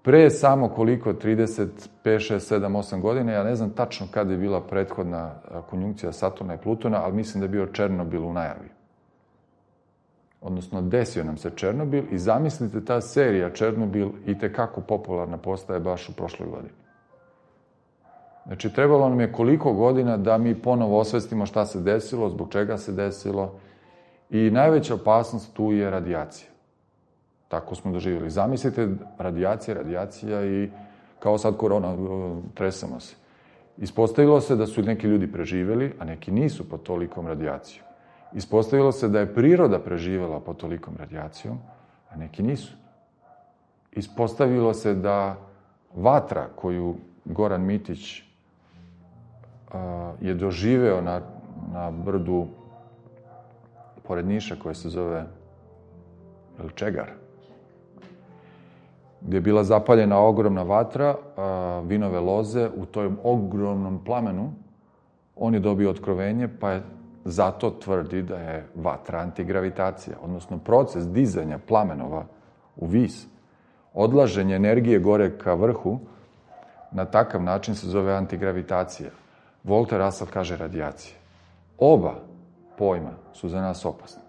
[SPEAKER 1] Pre samo koliko, trideset pet, šest, sedam, osam godine, ja ne znam tačno kada je bila prethodna konjunkcija Saturna i Plutona, ali mislim da je bio Černobil u najavi. Odnosno, desio nam se Černobil i zamislite, ta serija Černobil i tekako popularna postaje baš u prošloj godini. Znači, trebalo nam je koliko godina da mi ponovo osvestimo šta se desilo, zbog čega se desilo i najveća opasnost tu je radijacija. Tako smo doživjeli. Zamislite, radijacija, radijacija i kao sad korona, tresamo se. Ispostavilo se da su neki ljudi preživjeli, a neki nisu pod tolikom radijacijom. Ispostavilo se da je priroda preživjela pod tolikom radijacijom, a neki nisu. Ispostavilo se da vatra koju Goran Mitić a, je doživeo na, na brdu pored Niša, koje se zove Čegar, gdje je bila zapaljena ogromna vatra, a, vinove loze, u tom ogromnom plamenu on je dobio otkrovenje, pa je zato tvrdi da je vatra antigravitacija, odnosno proces dizanja plamenova u vis, odlaženje energije gore ka vrhu, na takav način se zove antigravitacija. Walter Russell kaže radijacija. Oba pojma su za nas opasni.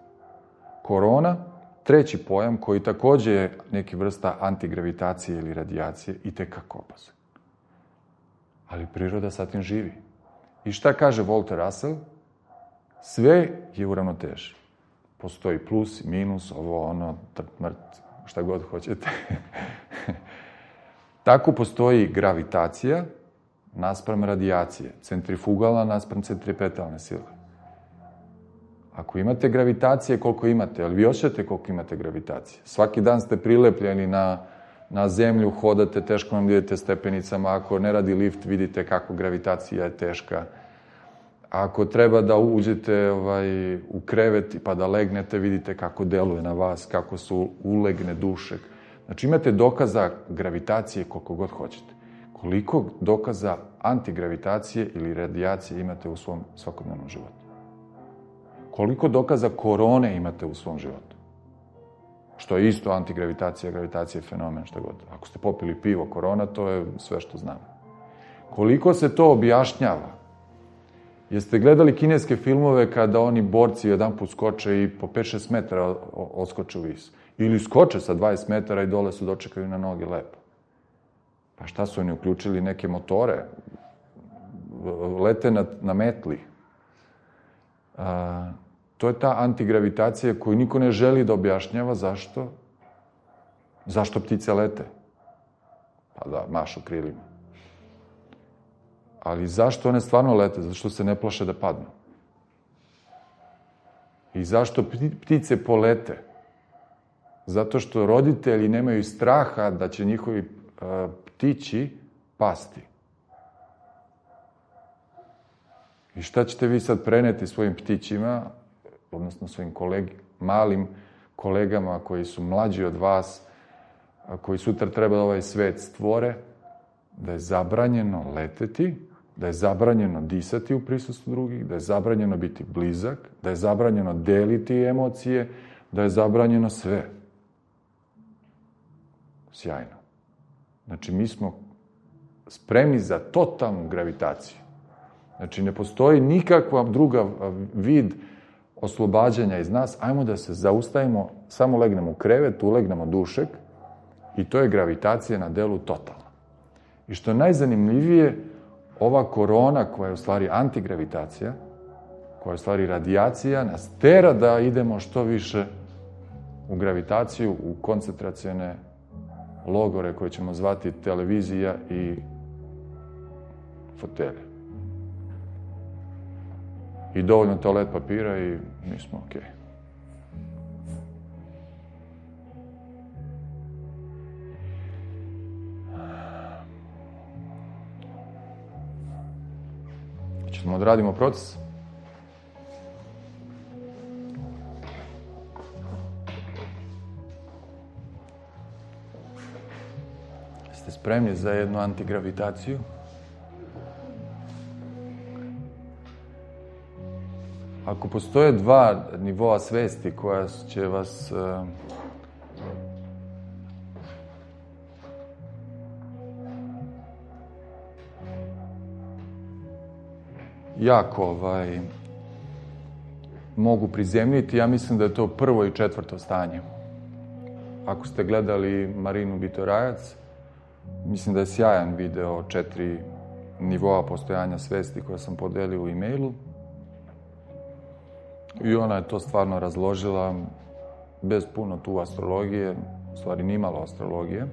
[SPEAKER 1] Korona, treći pojam koji takođe je neki vrsta antigravitacije ili radijacije i tekako opasan. Ali priroda sa tim živi. I šta kaže Walter Russell? Sve je u ravnoteži. Postoji plus, minus, ovo, ono, trt, mrt, šta god hoćete. Tako postoji gravitacija naspram radijacije, centrifugalna naspram centripetalne sile. Ako imate gravitacije, koliko imate, ali vi osjećate koliko imate gravitacije. Svaki dan ste prilepljeni na, na zemlju, hodate, teško vam idete stepenicama, ako ne radi lift, vidite kako gravitacija je teška. Ako treba da uđete ovaj, u krevet pa da legnete, vidite kako deluje na vas, kako su ulegne dušek. Znači imate dokaza gravitacije koliko god hoćete. Koliko dokaza antigravitacije ili radijacije imate u svom svakodnevnom životu? Koliko dokaza korone imate u svom životu? Što je isto antigravitacija, gravitacija je fenomen, šta god. Ako ste popili pivo, korona, to je sve što znamo. Koliko se to objašnjava? Jeste gledali kineske filmove kada oni borci jedan put skoče i po pet šest metara odskoče u vis? Ili skoče sa dvadeset metara i dole su dočekaju na noge lepo. Pa šta su oni uključili neke motore? Lete na, na metli. A, to je ta antigravitacija koju niko ne želi da objašnjava. Zašto? Zašto ptice lete? Pa da, mašu krilima. Ali zašto one stvarno lete? Zato što se ne plaše da padnu. I zašto ptice polete? Zato što roditelji nemaju straha da će njihovi uh, ptići pasti. I šta ćete vi sad preneti svojim ptićima, odnosno svojim kolegi, malim kolegama koji su mlađi od vas, a koji sutra treba da ovaj svet stvore, da je zabranjeno leteti, da je zabranjeno disati u prisustvu drugih, da je zabranjeno biti blizak, da je zabranjeno deliti emocije, da je zabranjeno sve. Sjajno. Znači, mi smo spremni za totalnu gravitaciju. Znači, ne postoji nikakva druga vid oslobađanja iz nas. Ajmo da se zaustavimo, samo legnemo u krevet, ulegnemo dušek i to je gravitacija na delu totalna. I što je najzanimljivije, ova korona, koja je u stvari antigravitacija, koja je u stvari radijacija, nas tera da idemo što više u gravitaciju, u koncentracione logore koje ćemo zvati televizija i fotelje. I dovoljno toalet papira i mi smo okej. Okay. Ćemo odradimo proces. Ste spremni za jednu antigravitaciju? Ako postoje dva nivoa svesti koja će vas uh, jako ovaj, mogu prizemljiti, ja mislim da je to prvo i četvrto stanje. Ako ste gledali Marinu Bitorajac, mislim da je sjajan video četiri nivoa postojanja svesti koje sam podelio u e-mailu. I ona je to stvarno razložila bez puno tu astrologije, u stvari nimalo astrologije.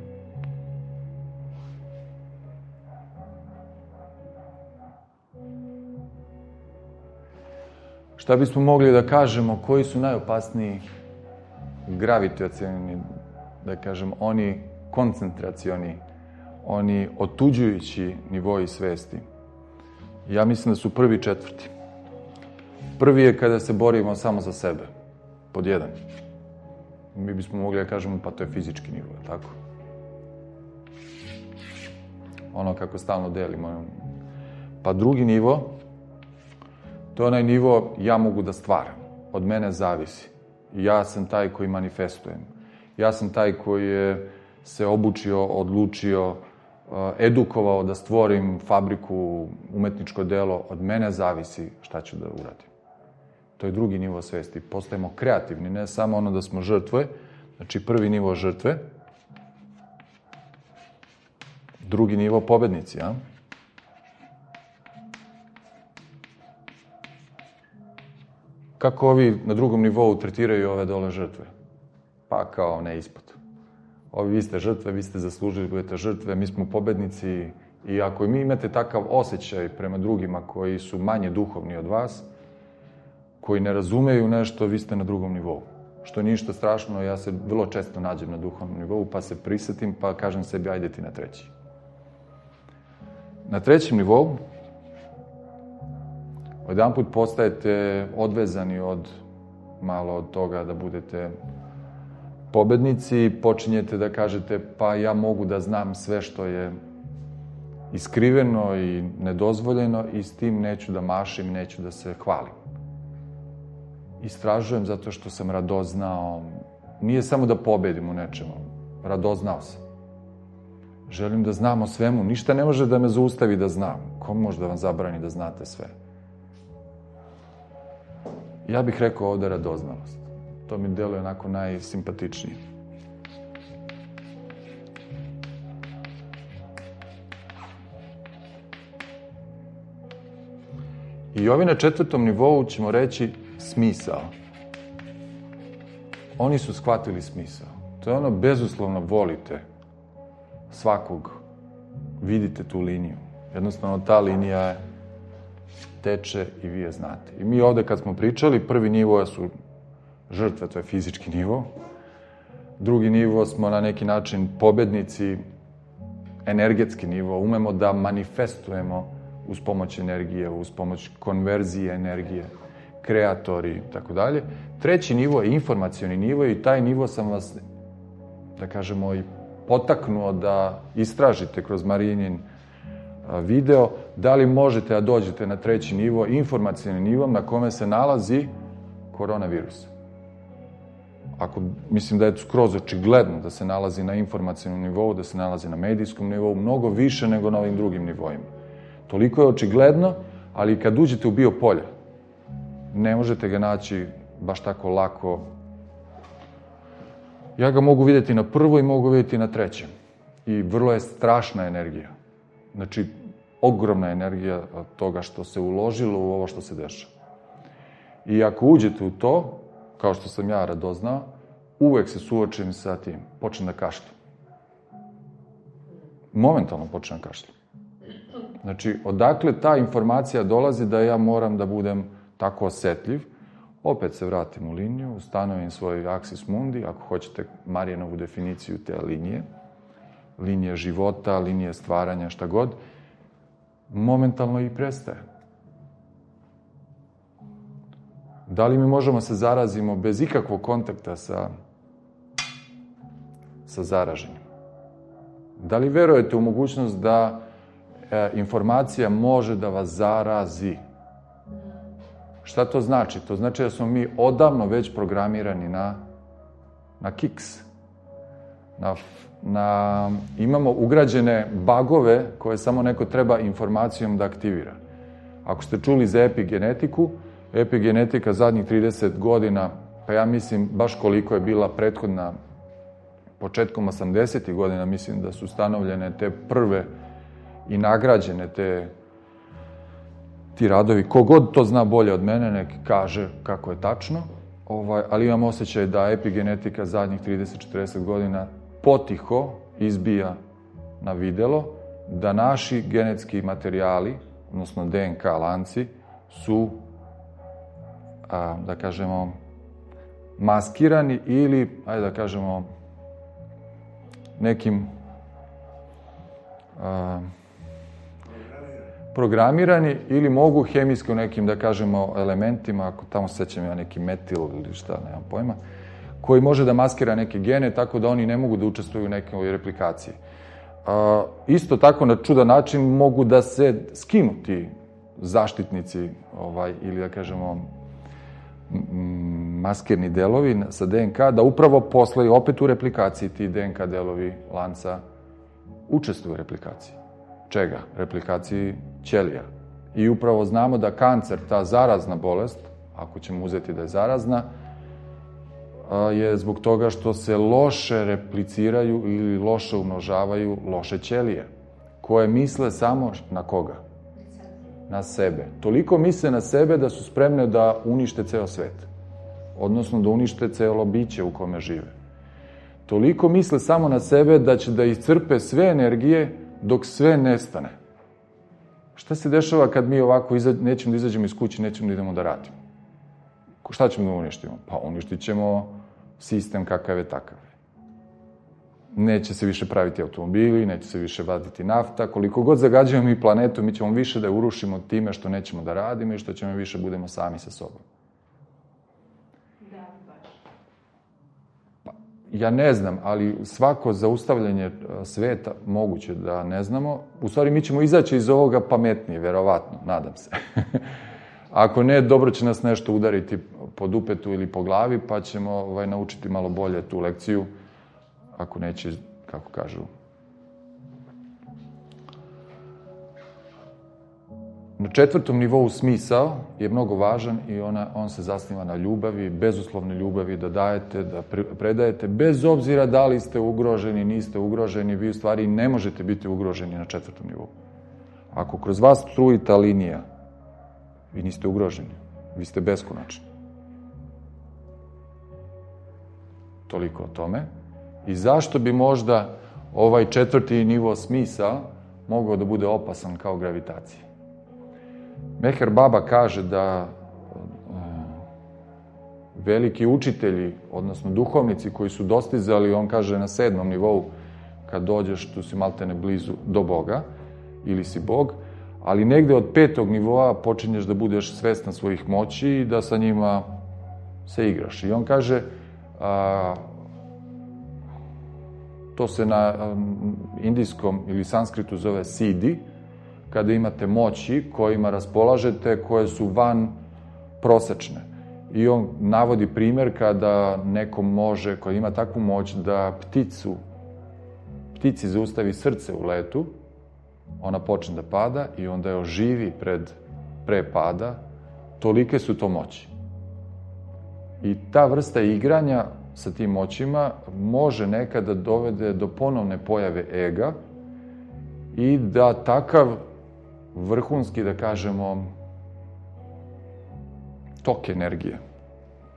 [SPEAKER 1] Šta bismo mogli da kažemo, koji su najopasniji gravitacioni, da kažem, oni koncentracioni, oni otuđujući nivoji svesti? Ja mislim da su prvi i četvrti. Prvi je kada se borimo samo za sebe, pod jedan. Mi bismo mogli da kažemo, pa to je fizički nivo, tako? Ono kako stalno delimo. Pa drugi nivo, to je onaj nivo ja mogu da stvaram, od mene zavisi. Ja sam taj koji manifestujem. Ja sam taj koji je se obučio, odlučio, edukovao da stvorim fabriku, umetničko delo, od mene zavisi šta ću da uradim. To je drugi nivo svesti. Postajemo kreativni, ne samo ono da smo žrtve, znači prvi nivo žrtve, drugi nivo pobednici, a? Kako ovi na drugom nivou tretiraju ove dole žrtve? Pa kao ne ispod. Ovi, vi ste žrtve, vi ste zaslužili, budete žrtve, mi smo pobednici i ako mi imate takav osjećaj prema drugima koji su manje duhovni od vas, koji ne razumeju nešto, vi ste na drugom nivou. Što je ništa strašno, ja se vrlo često nađem na duhovnom nivou, pa se prisetim, pa kažem sebi, ajde ti na treći. Na trećem nivou, odjedanput postajete odvezani od malo od toga da budete pobednici, počinjete da kažete, pa ja mogu da znam sve što je iskriveno i nedozvoljeno i s tim neću da mašim, neću da se hvalim. Istražujem zato što sam radoznao. Nije samo da pobedim u nečemu. Radoznao sam. Želim da znam o svemu. Ništa ne može da me zaustavi da znam. Ko može da vam zabrani da znate sve? Ja bih rekao ovde radoznalost. To mi deluje onako najsimpatičnije. I ovi na četvrtom nivou ćemo reći smisao. Oni su shvatili smisao. To je ono, bezuslovno volite svakog, vidite tu liniju. Jednostavno, ta linija je teče i vi je znate. I mi ovde kad smo pričali, prvi nivo su žrtve, to je fizički nivo. Drugi nivo smo na neki način pobednici, energetski nivo. Umemo da manifestujemo uz pomoć energije, uz pomoć konverzije energije, kreatori i tako dalje. Treći nivo je informacioni nivo i taj nivo sam vas, da kažemo, i potaknuo da istražite kroz Marijinin video, da li možete da dođete na treći nivo, informacioni nivo na kome se nalazi koronavirus. Ako, mislim da je skroz očigledno da se nalazi na informacionom nivou, da se nalazi na medijskom nivou, mnogo više nego na ovim drugim nivoima. Toliko je očigledno, ali kad uđete u biopolje, ne možete ga naći baš tako lako. Ja ga mogu vidjeti na prvo i mogu vidjeti na trećem. I vrlo je strašna energija. Znači, ogromna energija toga što se uložilo u ovo što se dešava. I ako uđete u to, kao što sam ja radoznao, uvek se suočim sa tim. Počnem da kašljam. Momentalno počnem da kašljam. Znači, odakle ta informacija dolazi da ja moram da budem tako osetljiv? Opet se vratim u liniju, ustanovim svoj aksis mundi, ako hoćete Marijinovu definiciju te linije, linije života, linije stvaranja, šta god, momentalno i prestaje. Da li mi možemo se zarazimo bez ikakvog kontakta sa, sa zaraženim? Da li verujete u mogućnost da e, informacija može da vas zarazi? Šta to znači? To znači da smo mi odavno već programirani na, na kiks. Na, na, imamo ugrađene bagove koje samo neko treba informacijom da aktivira. Ako ste čuli za epigenetiku, epigenetika zadnjih trideset godina, pa ja mislim baš koliko je bila prethodna, početkom osamdesetih godina, mislim da su ustanovljene te prve i nagrađene te ti radovi. Kogod to zna bolje od mene, nek kaže kako je tačno, ovaj, ali imam osjećaj da epigenetika zadnjih trideset do četrdeset godina potiho izbija na videlo, da naši genetski materijali, odnosno D N K lanci, su, a, da kažemo, maskirani ili, ajde da kažemo, nekim a, programirani ili mogu hemijski u nekim, da kažemo, elementima, ako tamo sećam ja neki metil ili šta, nemam pojma, koji može da maskira neke gene, tako da oni ne mogu da učestvuju u nekoj replikaciji. A, isto tako, na čudan način, mogu da se skinu ti zaštitnici, ovaj, ili da kažemo, maskirni delovi sa D N K, da upravo posle opet u replikaciji ti D N K delovi lanca učestvuju u replikaciji. Čega? Replikaciji ćelija. I upravo znamo da kancer, ta zarazna bolest, ako ćemo uzeti da je zarazna, je zbog toga što se loše repliciraju ili loše umnožavaju loše ćelije, koje misle samo na koga? Na sebe. Toliko misle na sebe da su spremne da unište ceo svet. Odnosno da unište celo biće u kome žive. Toliko misle samo na sebe da će da iscrpe sve energije dok sve nestane. Šta se dešava kad mi ovako iza, nećemo da izađemo iz kuće, nećemo da idemo da radimo? Šta ćemo da uništimo? Pa uništit ćemo sistem kakav je takav. Neće se više praviti automobili, neće se više vaditi nafta. Koliko god zagađujemo mi planetu, mi ćemo više da je urušimo time što nećemo da radimo i što ćemo više budemo sami sa sobom.
[SPEAKER 3] Da, baš.
[SPEAKER 1] Pa, ja ne znam, ali svako zaustavljanje sveta moguće da ne znamo. U stvari, mi ćemo izaći iz ovoga pametnije, verovatno, nadam se. Ako ne, dobro će nas nešto udariti po dupetu ili po glavi, pa ćemo ovaj, naučiti malo bolje tu lekciju, ako neće, kako kažu. Na četvrtom nivou smisao je mnogo važan i ona, on se zasniva na ljubavi, bezuslovne ljubavi, da dajete, da predajete, bez obzira da li ste ugroženi, niste ugroženi, vi u stvari ne možete biti ugroženi na četvrtom nivou. Ako kroz vas struji ta linija Vi niste ugroženi. Vi ste beskonačni. Toliko o tome. I zašto bi možda ovaj četvrti nivo smisla mogao da bude opasan kao gravitacija? Meher Baba kaže da veliki učitelji, odnosno duhovnici koji su dostizali, on kaže na sedmom nivou, kad dođeš, tu si maltene blizu do Boga, ili si Bog, ali negde od petog nivoa počinješ da budeš svestan svojih moći i da sa njima se igraš. I on kaže, a, to se na a, indijskom ili sanskritu zove siddhi, kada imate moći kojima raspolažete, koje su van prosečne. I on navodi primjer kada neko može, koji ima takvu moć da pticu, ptici zaustavi srce u letu, ona počne da pada i onda je oživi pred, pre pada, tolike su to moći. I ta vrsta igranja sa tim moćima može nekada dovede do ponovne pojave ega i da takav vrhunski, da kažemo, tok energije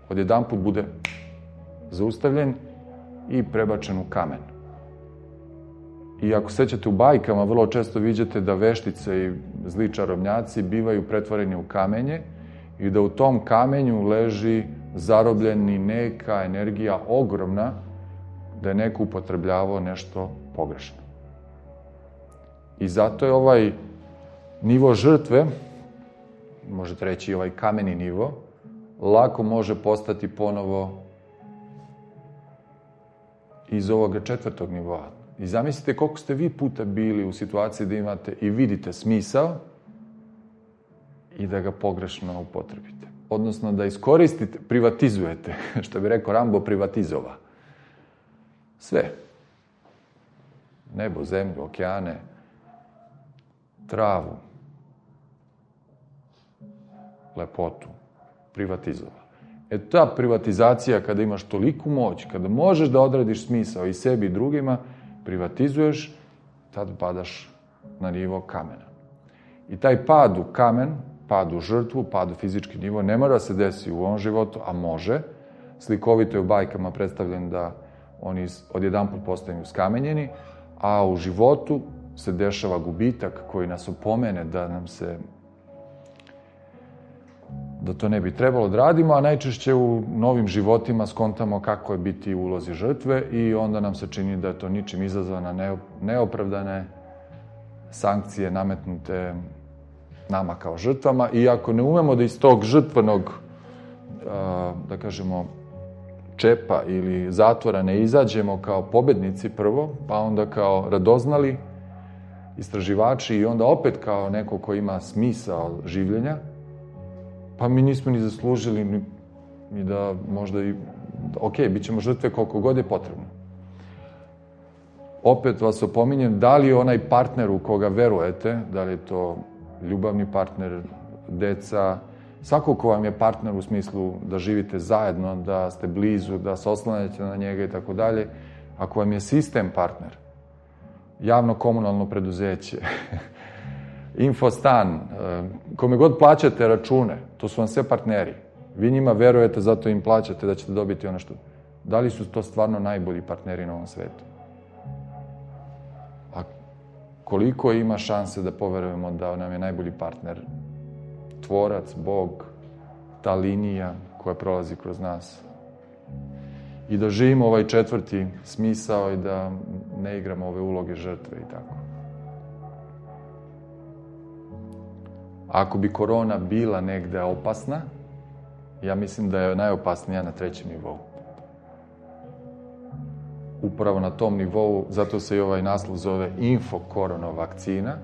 [SPEAKER 1] odjedanput bude zaustavljen i prebačen u kamen. I ako sećate u bajkama, vrlo često viđate da veštice i zli čarobnjaci bivaju pretvoreni u kamenje i da u tom kamenju leži zarobljeni neka energija ogromna, da je neko upotrebljavao nešto pogrešno. I zato je ovaj nivo žrtve, možete reći ovaj kameni nivo, lako može postati ponovo iz ovoga četvrtog nivoa. I zamislite koliko ste vi puta bili u situaciji da imate i vidite smisao i da ga pogrešno upotrebite. Odnosno da iskoristite, privatizujete, što bi rekao Rambo, privatizova. Sve. Nebo, zemlju, okeane, travu, lepotu, privatizova. E ta privatizacija, kada imaš toliku moć, kada možeš da odradiš smisao i sebi i drugima, privatizuješ, tad padaš na nivo kamena. I taj pad u kamen, pad u žrtvu, pad u fizički nivo, ne mora se desi u ovom životu, a može. Slikovito je u bajkama predstavljen da oni odjedanput postaju skamenjeni, a u životu se dešava gubitak koji nas opomene da nam se da to ne bi trebalo da radimo, a najčešće u novim životima skontamo kako je biti u ulozi žrtve i onda nam se čini da je to ničim izazvana neopravdane sankcije nametnute nama kao žrtvama i ako ne umemo da iz tog žrtvenog, da kažemo, čepa ili zatvora ne izađemo kao pobednici prvo, pa onda kao radoznali istraživači i onda opet kao neko ko ima smisao življenja, pa mi nismo ni zaslužili ni, ni da možda i, ok, bit ćemo žrtve koliko god je potrebno. Opet vas opominjem, da li je onaj partner u koga verujete, da li je to ljubavni partner, deca, svako ko vam je partner u smislu da živite zajedno, da ste blizu, da se oslanjate na njega i tako dalje, ako vam je sistem partner, javno-komunalno preduzeće, infostan, kome god plaćate račune, to su vam sve partneri. Vi njima verujete, zato im plaćate da ćete dobiti ono što... Da li su to stvarno najbolji partneri na ovom svetu? A koliko ima šanse da poverujemo da nam je najbolji partner Tvorac, Bog, ta linija koja prolazi kroz nas? I da živimo ovaj četvrti smisao i da ne igramo ove uloge žrtve i tako. Ako bi korona bila negde opasna, ja mislim da je najopasnija na trećem nivou. Upravo na tom nivou, zato se i ovaj naslov zove info-korona vakcina.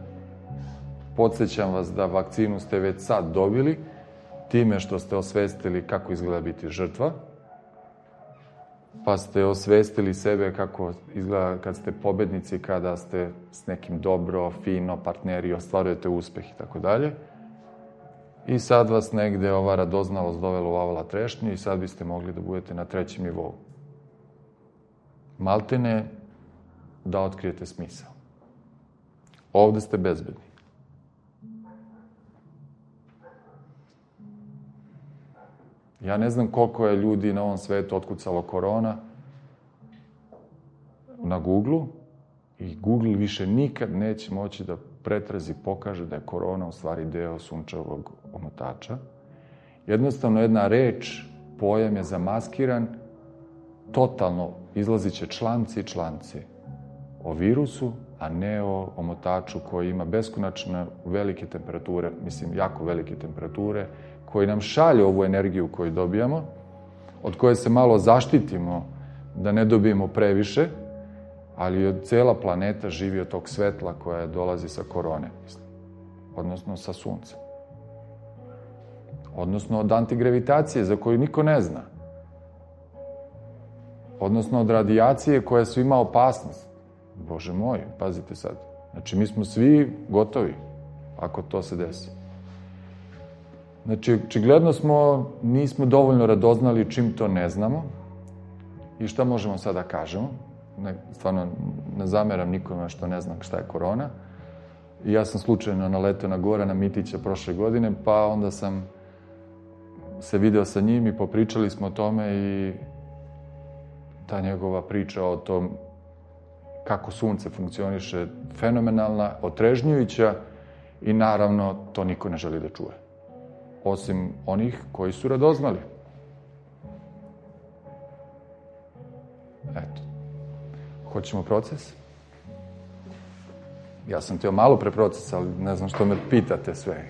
[SPEAKER 1] Podsjećam vas da vakcinu ste već sad dobili, time što ste osvestili kako izgleda biti žrtva, pa ste osvestili sebe kako izgleda kad ste pobednici, kada ste s nekim dobro, fino, partneri, ostvarujete uspeh i tako dalje. I sad vas negde ova radoznalost dovela u avala trešnju i sad biste mogli da budete na trećem nivou. Maltene da otkrijete smisao. Ovde ste bezbedni. Ja ne znam koliko je ljudi na ovom svetu otkucalo korona na Google-u i Google više nikad neće moći da pretrazi, pokaže da je korona u stvari deo sunčevog omotača. Jednostavno jedna reč, pojam je zamaskiran, totalno izlazit će članci i članci o virusu, a ne o omotaču koji ima beskonačno velike temperature, mislim, jako velike temperature, koji nam šalje ovu energiju koju dobijamo, od koje se malo zaštitimo da ne dobijemo previše, ali od cela planeta živi od tog svetla koja dolazi sa korone, mislim, odnosno sa suncem. Odnosno od antigravitacije, za koju niko ne zna. Odnosno od radijacije koja su ima opasnost. Bože moj, pazite sad. Znači, mi smo svi gotovi, ako to se desi. Znači, očigledno smo, nismo dovoljno radoznali čim to ne znamo i šta možemo sad da kažemo. Ne, stvarno, ne zameram nikome što ne znam šta je korona. I ja sam slučajno naleteo na Gorana Mitića prošle godine, pa onda sam se video sa njim i popričali smo o tome i ta njegova priča o tom kako sunce funkcioniše fenomenalna, otrežnjujuća i naravno to niko ne želi da čuje. Osim onih koji su radoznali. Eto. Hoćemo proces? Ja sam teo malo pre proces, ali ne znam što me pitate sve.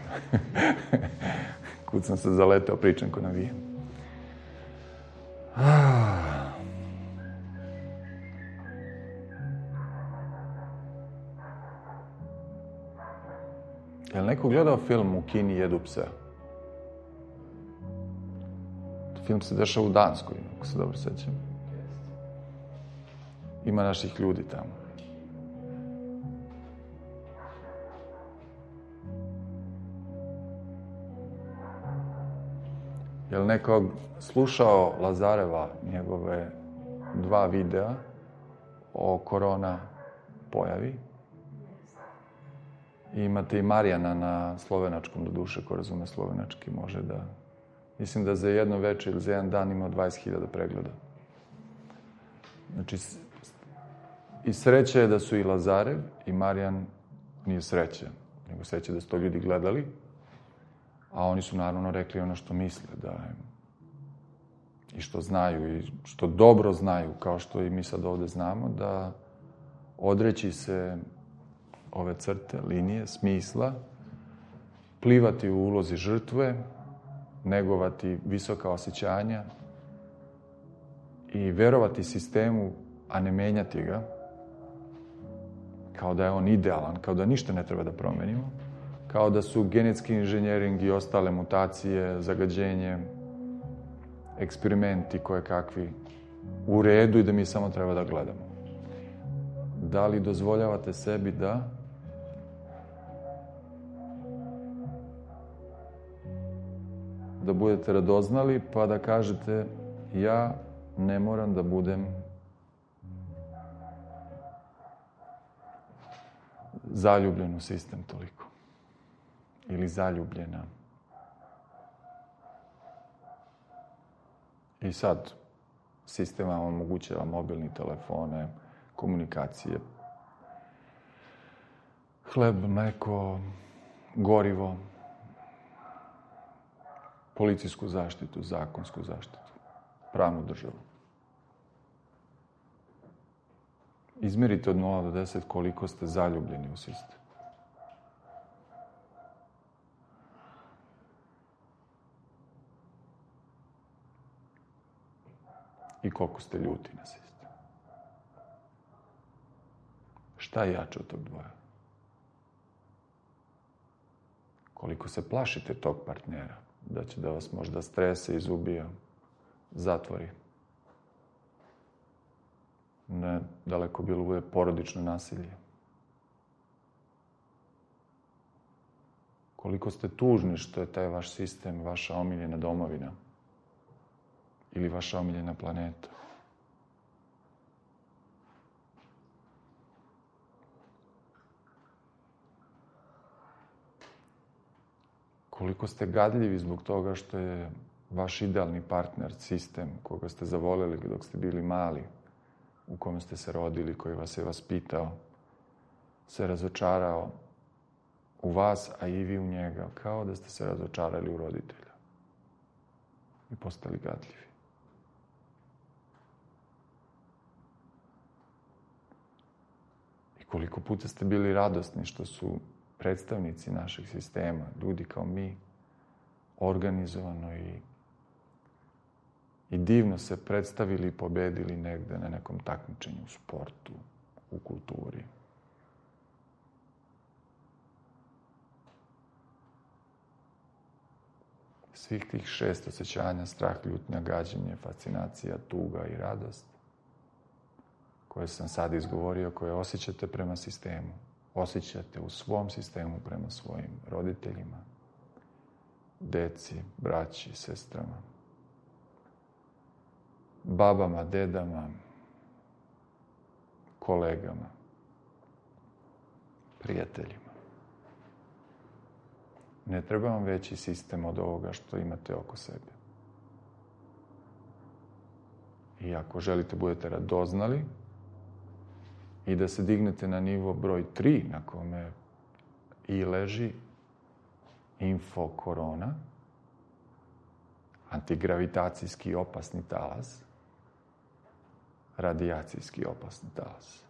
[SPEAKER 1] Kud sam se zaleteo, pričam ko navijem. Je li neko gledao film U Kini jedu pse? Film se dešava u Danskoj, ako se dobro sećam. Ima naših ljudi tamo. Je li neko slušao Lazareva, njegove dva videa o korona pojavi? I imate i Marijana na slovenačkom, do duše, ko razume slovenački, može da... Mislim da za jedno večer ili za jedan dan ima dvadeset hiljada pregleda. Znači, i sreće je da su i Lazarev i Marijan, nije sreće, nego sreće da su to ljudi gledali, a oni su naravno rekli ono što misle, da i što znaju, i što dobro znaju, kao što i mi sad ovde znamo, da odreći se ove crte, linije, smisla, plivati u ulozi žrtve, negovati visoka osjećanja i verovati sistemu, a ne menjati ga, kao da je on idealan, kao da ništa ne treba da promenimo, kao da su genetski inženjering i ostale mutacije, zagađenje, eksperimenti koje kakvi u redu i da mi samo treba da gledamo. Da li dozvoljavate sebi da da budete radoznali, pa da kažete ja ne moram da budem zaljubljen u sistem toliko. Ili zaljubljena. I sad sistem vam omogućava mobilne telefone, komunikacije, hleb, mleko, gorivo, policijsku zaštitu, zakonsku zaštitu, pravnu državu. Izmerite od nula do deset koliko ste zaljubljeni u sistem. I koliko ste ljuti na sistem. Šta je jače od tog dvoja? Koliko se plašite tog partnera, da će da vas možda strese, izubija, zatvori. Ne, daleko bilo bude porodično nasilje. Koliko ste tužni što je taj vaš sistem, vaša omiljena domovina ili vaša omiljena planeta. Koliko ste gadljivi zbog toga što je vaš idealni partner, sistem koga ste zavoleli dok ste bili mali, u kome ste se rodili, koji vas je vaspitao, se razočarao u vas, a i vi u njega, kao da ste se razočarali u roditelja i postali gadljivi. I koliko puta ste bili radosni što su predstavnici našeg sistema, ljudi kao mi, organizovano i, i divno se predstavili i pobedili negde na nekom takmičenju u sportu, u kulturi. Svih tih šest osjećanja, strah, ljutnja, gađenje, fascinacija, tuga i radost, koje sam sad izgovorio, koje osjećate prema sistemu, osjećate u svom sistemu prema svojim roditeljima, deci, braći, sestrama, babama, dedama, kolegama, prijateljima. Ne treba vam veći sistem od ovoga što imate oko sebe. I ako želite budete radoznali i da se dignete na nivo broj tri, na kome i leži info korona, antigravitacijski opasni talas, radijacijski opasni talas,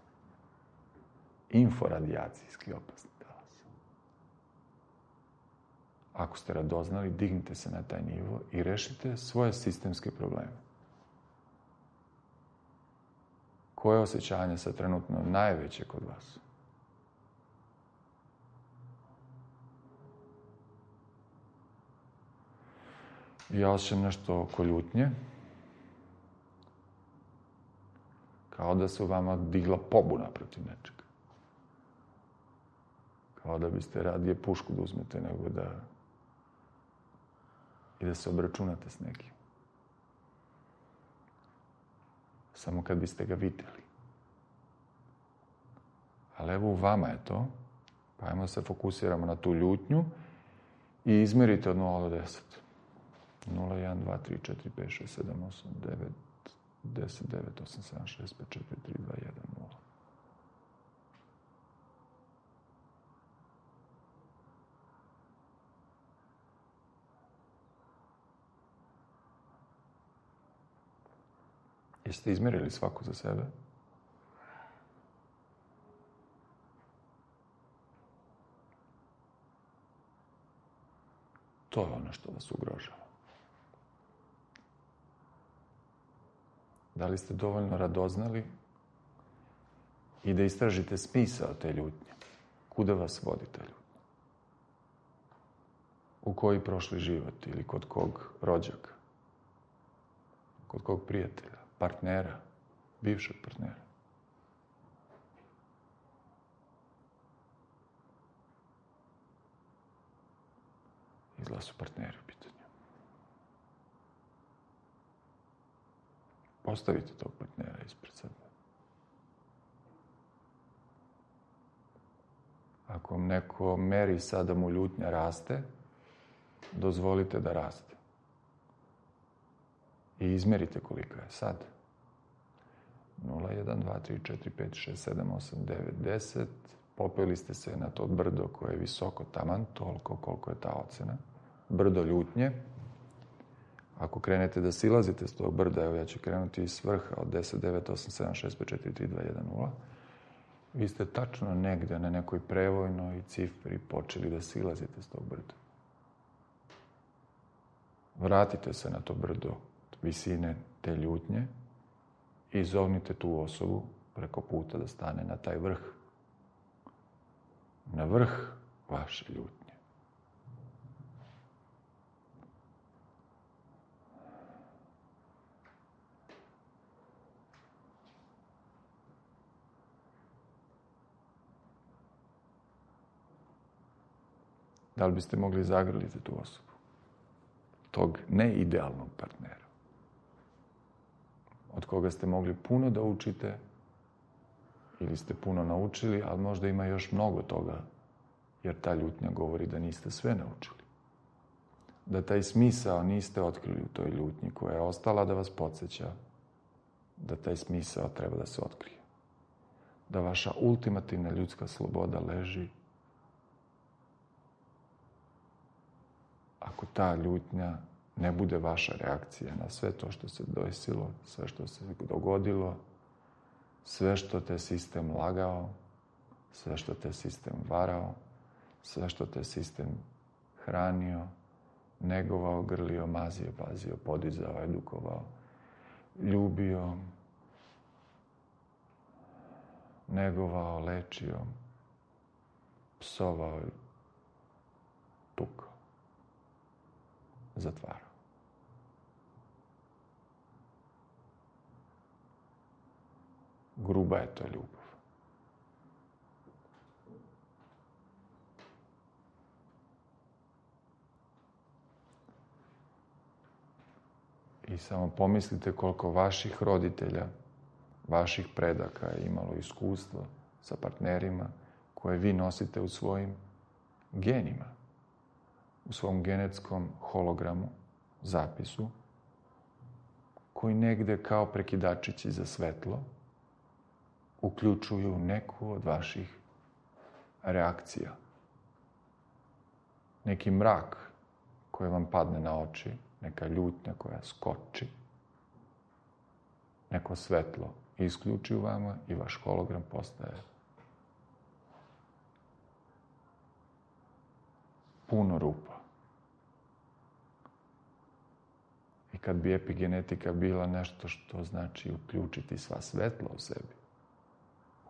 [SPEAKER 1] inforadijacijski opasni talas. Ako ste radoznali, dignite se na taj nivo i rešite svoje sistemske probleme. Koje osjećanje sa trenutno najveće kod vas? Ja osjećam nešto oko ljutnje. Kao da se u vama digla pobuna protiv nečega. Kao da biste radije pušku da uzmete nego da i da se obračunate s nekim. Samo kad biste ga videli. Ali evo u vama je to. Pa ajmo se fokusiramo na tu ljutnju i izmerite od nula do deset. nula, jedan, dva, tri, četiri, pet, šest, sedam, osam, devet, deset, devet, osam, sedam, šest, pet, četiri, tri, dva, jedan, nula. Jeste izmerili svako za sebe? To je ono što vas ugrožava. Da li ste dovoljno radoznali i da istražite smisao te ljutnje? Kuda vas vodi ta ljutnja? U koji prošli život ili kod kog rođaka? Kod kog prijatelja, partnera, bivšeg partnera? Izgleda su partneri u pitanju. Postavite tog partnera ispred sebe. Ako vam neko meri sad da mu ljutnja raste, dozvolite da raste. I izmerite koliko je sad. nula, jedan, dva, tri, četiri, pet, šest, sedam, osam, devet, deset. Popeli ste se na to brdo koje je visoko taman, toliko koliko je ta ocena. Brdo ljutnje. Ako krenete da silazite s tog brda, evo ja ću krenuti iz vrha od deset, devet, osam, sedam, šest, pet, četiri, tri, dva, jedan, nula. Vi ste tačno negde na nekoj prevojnoj cifri počeli da silazite s tog brda. Vratite se na to brdo visine te ljutnje i zovnite tu osobu preko puta da stane na taj vrh. Na vrh vaše ljutnje. Da li biste mogli zagrliti tu osobu? Tog neidealnog partnera. Od koga ste mogli puno da učite ili ste puno naučili, ali možda ima još mnogo toga, jer ta ljutnja govori da niste sve naučili. da taj smisao niste otkrili u toj ljutnji koja je ostala da vas podsjeća da taj smisao treba da se otkrije. Da vaša ultimativna ljudska sloboda leži ako ta ljutnja ne bude vaša reakcija na sve to što se desilo, sve što se dogodilo, sve što te sistem lagao, sve što te sistem varao, sve što te sistem hranio, negovao, grlio, mazio, pazio, podizao, edukovao, ljubio, negovao, lečio, psovao, tukao, zatvarao. Gruba je to ljubav. I samo pomislite koliko vaših roditelja, vaših predaka je imalo iskustvo sa partnerima koje vi nosite u svojim genima, u svom genetskom hologramu, zapisu, koji negde kao prekidačići za svetlo uključuju neku od vaših reakcija. Neki mrak koji vam padne na oči, neka ljutnja koja skoči, neko svetlo isključi u vama i vaš hologram postaje puno rupa. I kad bi epigenetika bila nešto što znači uključiti sva svetla u sebi,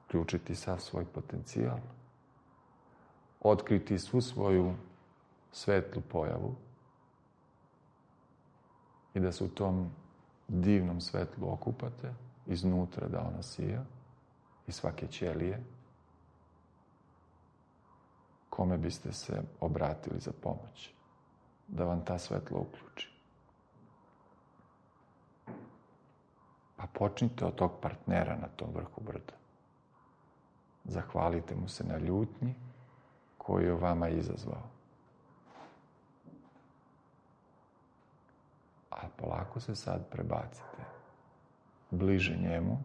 [SPEAKER 1] uključiti sav svoj potencijal, otkriti svu svoju svetlu pojavu i da se u tom divnom svetlu okupate, iznutra da ona sija, iz svake ćelije, kome biste se obratili za pomoć, da vam ta svetlo uključi. Pa počnite od tog partnera na tom vrhu brda. Zahvalite mu se na ljutnji koju je vama izazvao. A polako se sad prebacite bliže njemu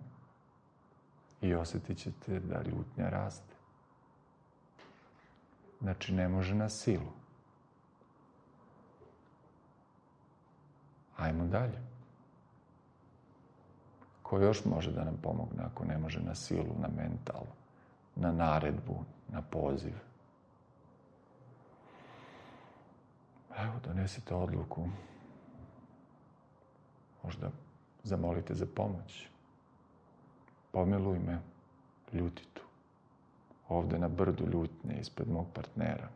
[SPEAKER 1] i osjetit ćete da ljutnja raste. Znači, ne može na silu. Ajmo dalje. Ko još može da nam pomogne ako ne može na silu, na mental, na naredbu, na poziv? Evo, donesite odluku. Možda zamolite za pomoć. Pomiluj me, ljutitu. Ovde na brdu ljutnje ispred mog partnera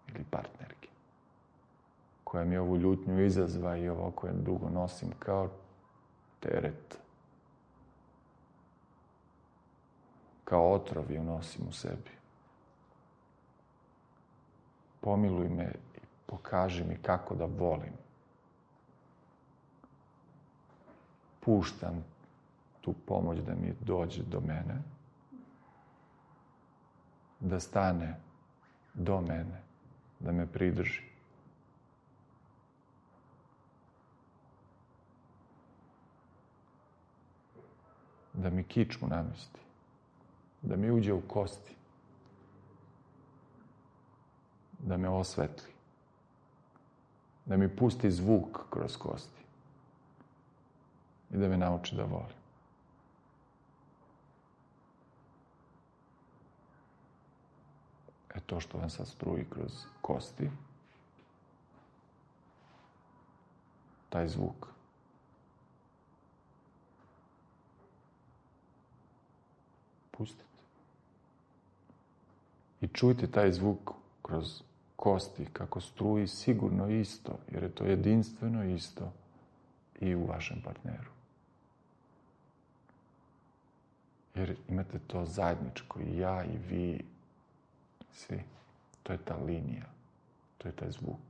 [SPEAKER 1] ili partnerke, koja mi ovu ljutnju izazva i ovo koje dugo nosim kao teret. Kao otrov ju nosim u sebi. Pomiluj me i pokaži mi kako da volim. Puštam tu pomoć da mi dođe do mene, da stane do mene, da me pridrži. Da mi kičmu namesti, da mi uđe u kosti, da me osvetli, da mi pusti zvuk kroz kosti i da me nauči da volim. E to što vam sad struji kroz kosti, taj zvuk, pustite. I čujte taj zvuk kroz kosti kako struji sigurno isto, jer je to jedinstveno isto i u vašem partneru. Jer imate to zajedničko, i ja i vi, svi. To je ta linija, to je taj zvuk.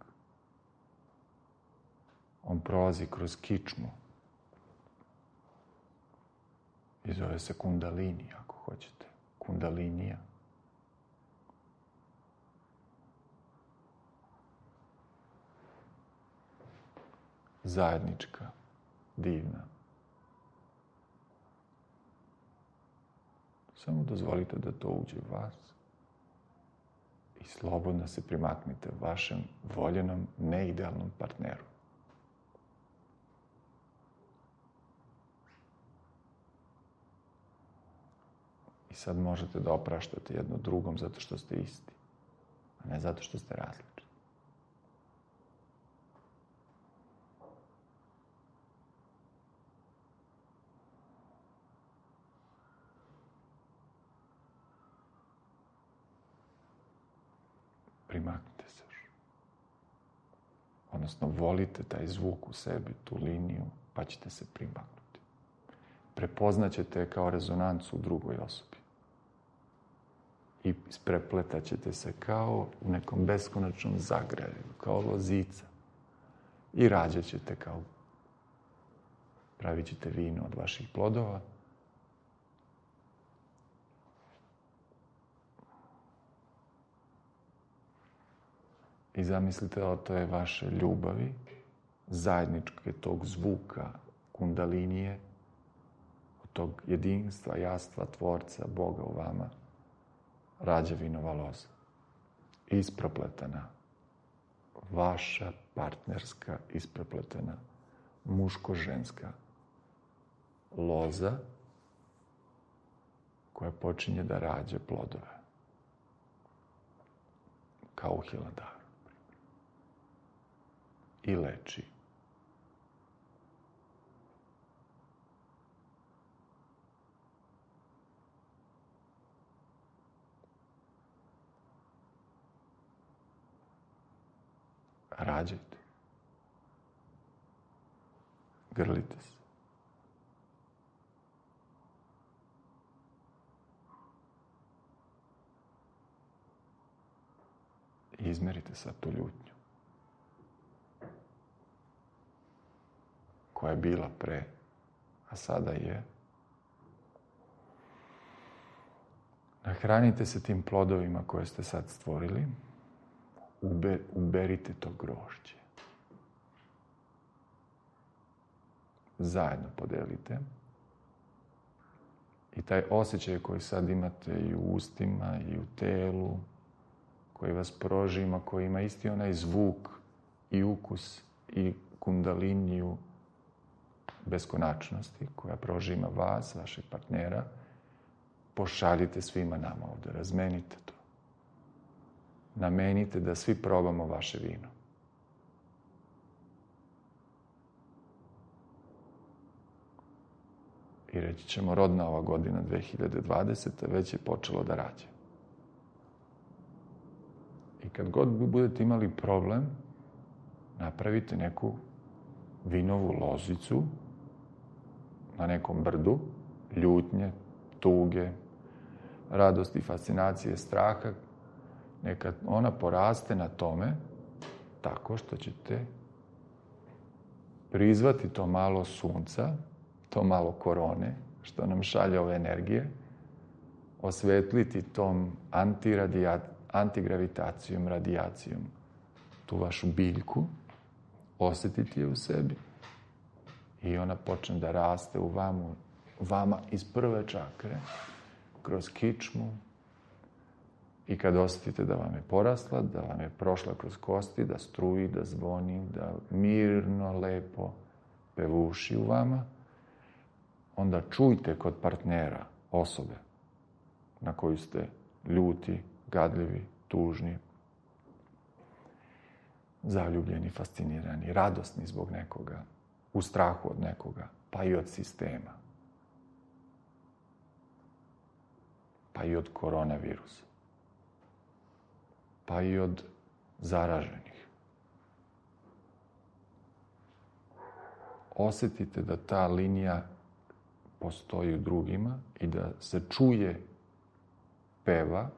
[SPEAKER 1] On prolazi kroz kičmu i zove se kundalini, ako hoćete. Kundalinija. zajednička, divna. Samo dozvolite da to uđe u vas i slobodno se primaknite vašem voljenom, neidealnom partneru. I sad možete da opraštate jedno drugom zato što ste isti, a ne zato što ste različiti. Primaknite se još. Odnosno, volite taj zvuk u sebi, tu liniju, pa ćete se primaknuti. Prepoznaćete je kao rezonancu u drugoj osobi. I isprepletat ćete se kao u nekom beskonačnom zagraju, kao lozica. I rađat ćete kao, pravit ćete vino od vaših plodova. I zamislite da to je vaše ljubavi, zajedničke tog zvuka, kundalinije, od tog jedinstva, jastva, tvorca, Boga u vama, rađa vinova loza. Isprepletana, vaša partnerska, isprepletena, muško-ženska loza koja počinje da rađa plodove. Kao u Hilandaru. I leči. Rađajte. Grlite se. I izmerite sad tu ljutnju. Koja je bila pre, a sada je. Nahranite se tim plodovima koje ste sad stvorili. Ube, uberite to grožđe. Zajedno podelite. I taj osjećaj koji sad imate i u ustima, i u telu, koji vas prožima, koji ima isti onaj zvuk i ukus i kundaliniju beskonačnosti koja prožima vas, vašeg partnera, pošaljite svima nama ovde, razmenite to. Namenite da svi probamo vaše vino. I reći ćemo, rodna ova godina dve hiljade dvadeseta već je počelo da rađe. I kad god budete imali problem, napravite neku vinovu lozicu na nekom brdu, ljutnje, tuge, radosti, fascinacije, straha, neka ona poraste na tome tako što ćete prizvati to malo sunca, to malo korone, što nam šalje ove energije, osvetliti tom antigravitacijom, radijacijom tu vašu biljku, osjetiti je u sebi i ona počne da raste u vama, vama iz prve čakre, kroz kičmu, i kad osjetite da vam je porasla, da vam je prošla kroz kosti, da struji, da zvoni, da mirno, lepo pevuši u vama, onda čujte kod partnera, osobe na koju ste ljuti, gadljivi, tužni, zaljubljeni, fascinirani, radosni zbog nekoga, u strahu od nekoga, pa i od sistema, pa i od koronavirusa, pa i od zaraženih. Osjetite da ta linija postoji u drugima i da se čuje, peva,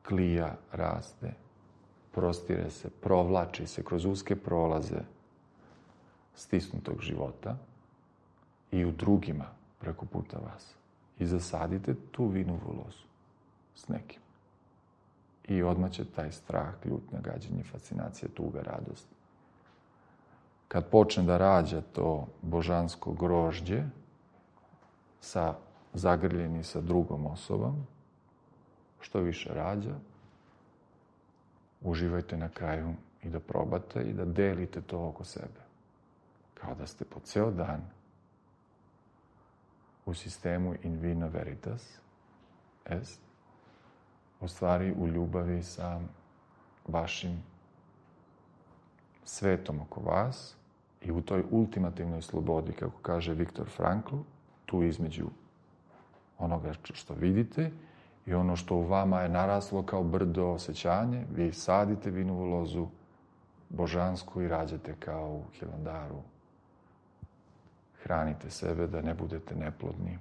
[SPEAKER 1] klija, raste, prostire se, provlači se kroz uske prolaze stisnutog života i u drugima preko puta vas. I zasadite tu vinovu lozu s nekim. I odmah će taj strah, ljutnja, gađenje, fascinacija, tuga, radost kad počne da rađa to božansko grožđe sa zagrljeni sa drugom osobom, što više rađa, uživajte na kraju i da probate i da delite to oko sebe. Kao da ste po ceo dan u sistemu in vino veritas, est, u stvari u ljubavi sa vašim svetom oko vas i u toj ultimativnoj slobodi, kako kaže Viktor Frankl, tu između onoga što vidite i ono što u vama je naraslo kao brdo osjećanje, vi sadite vinovu lozu božansku i rađate kao u Hilandaru. Hranite sebe da ne budete neplodni,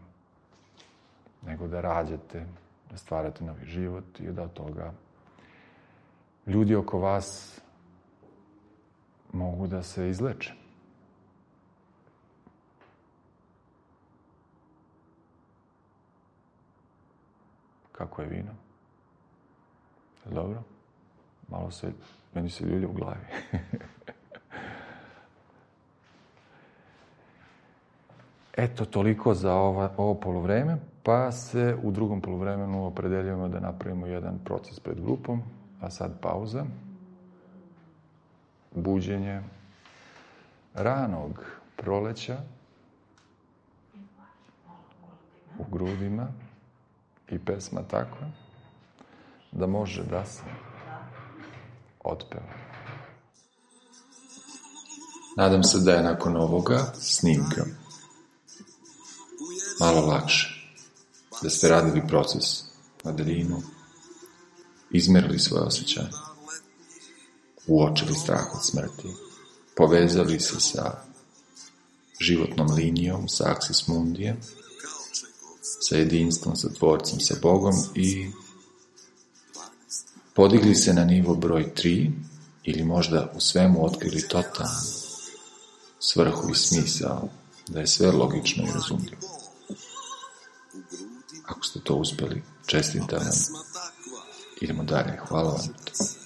[SPEAKER 1] nego da rađate, da stvarate novi život i da od toga ljudi oko vas mogu da se izleče. Kako je vino? Dobro? Malo se, meni se ljulja u glavi. Eto, toliko za ova, ovo poluvreme, pa se u drugom poluvremenu opredeljujemo da napravimo jedan proces pred grupom, a sad pauza. Buđenje ranog proleća u grudima i pesma takva da može da se otpeva.
[SPEAKER 7] Nadam se da je nakon ovoga snimka malo lakše, da ste radili proces na daljinu, izmerili svoje osjećanje, uočili strah od smrti, povezali se sa životnom linijom, sa aksis mundijem, sa jedinstvom, sa tvorcem, sa Bogom i podigli se na nivo broj tri ili možda u svemu otkrili totalnu svrhu i smisao, da je sve logično i razumljivo. Ako ste to uspjeli, čestitam vam. Idemo dalje. Hvala vam.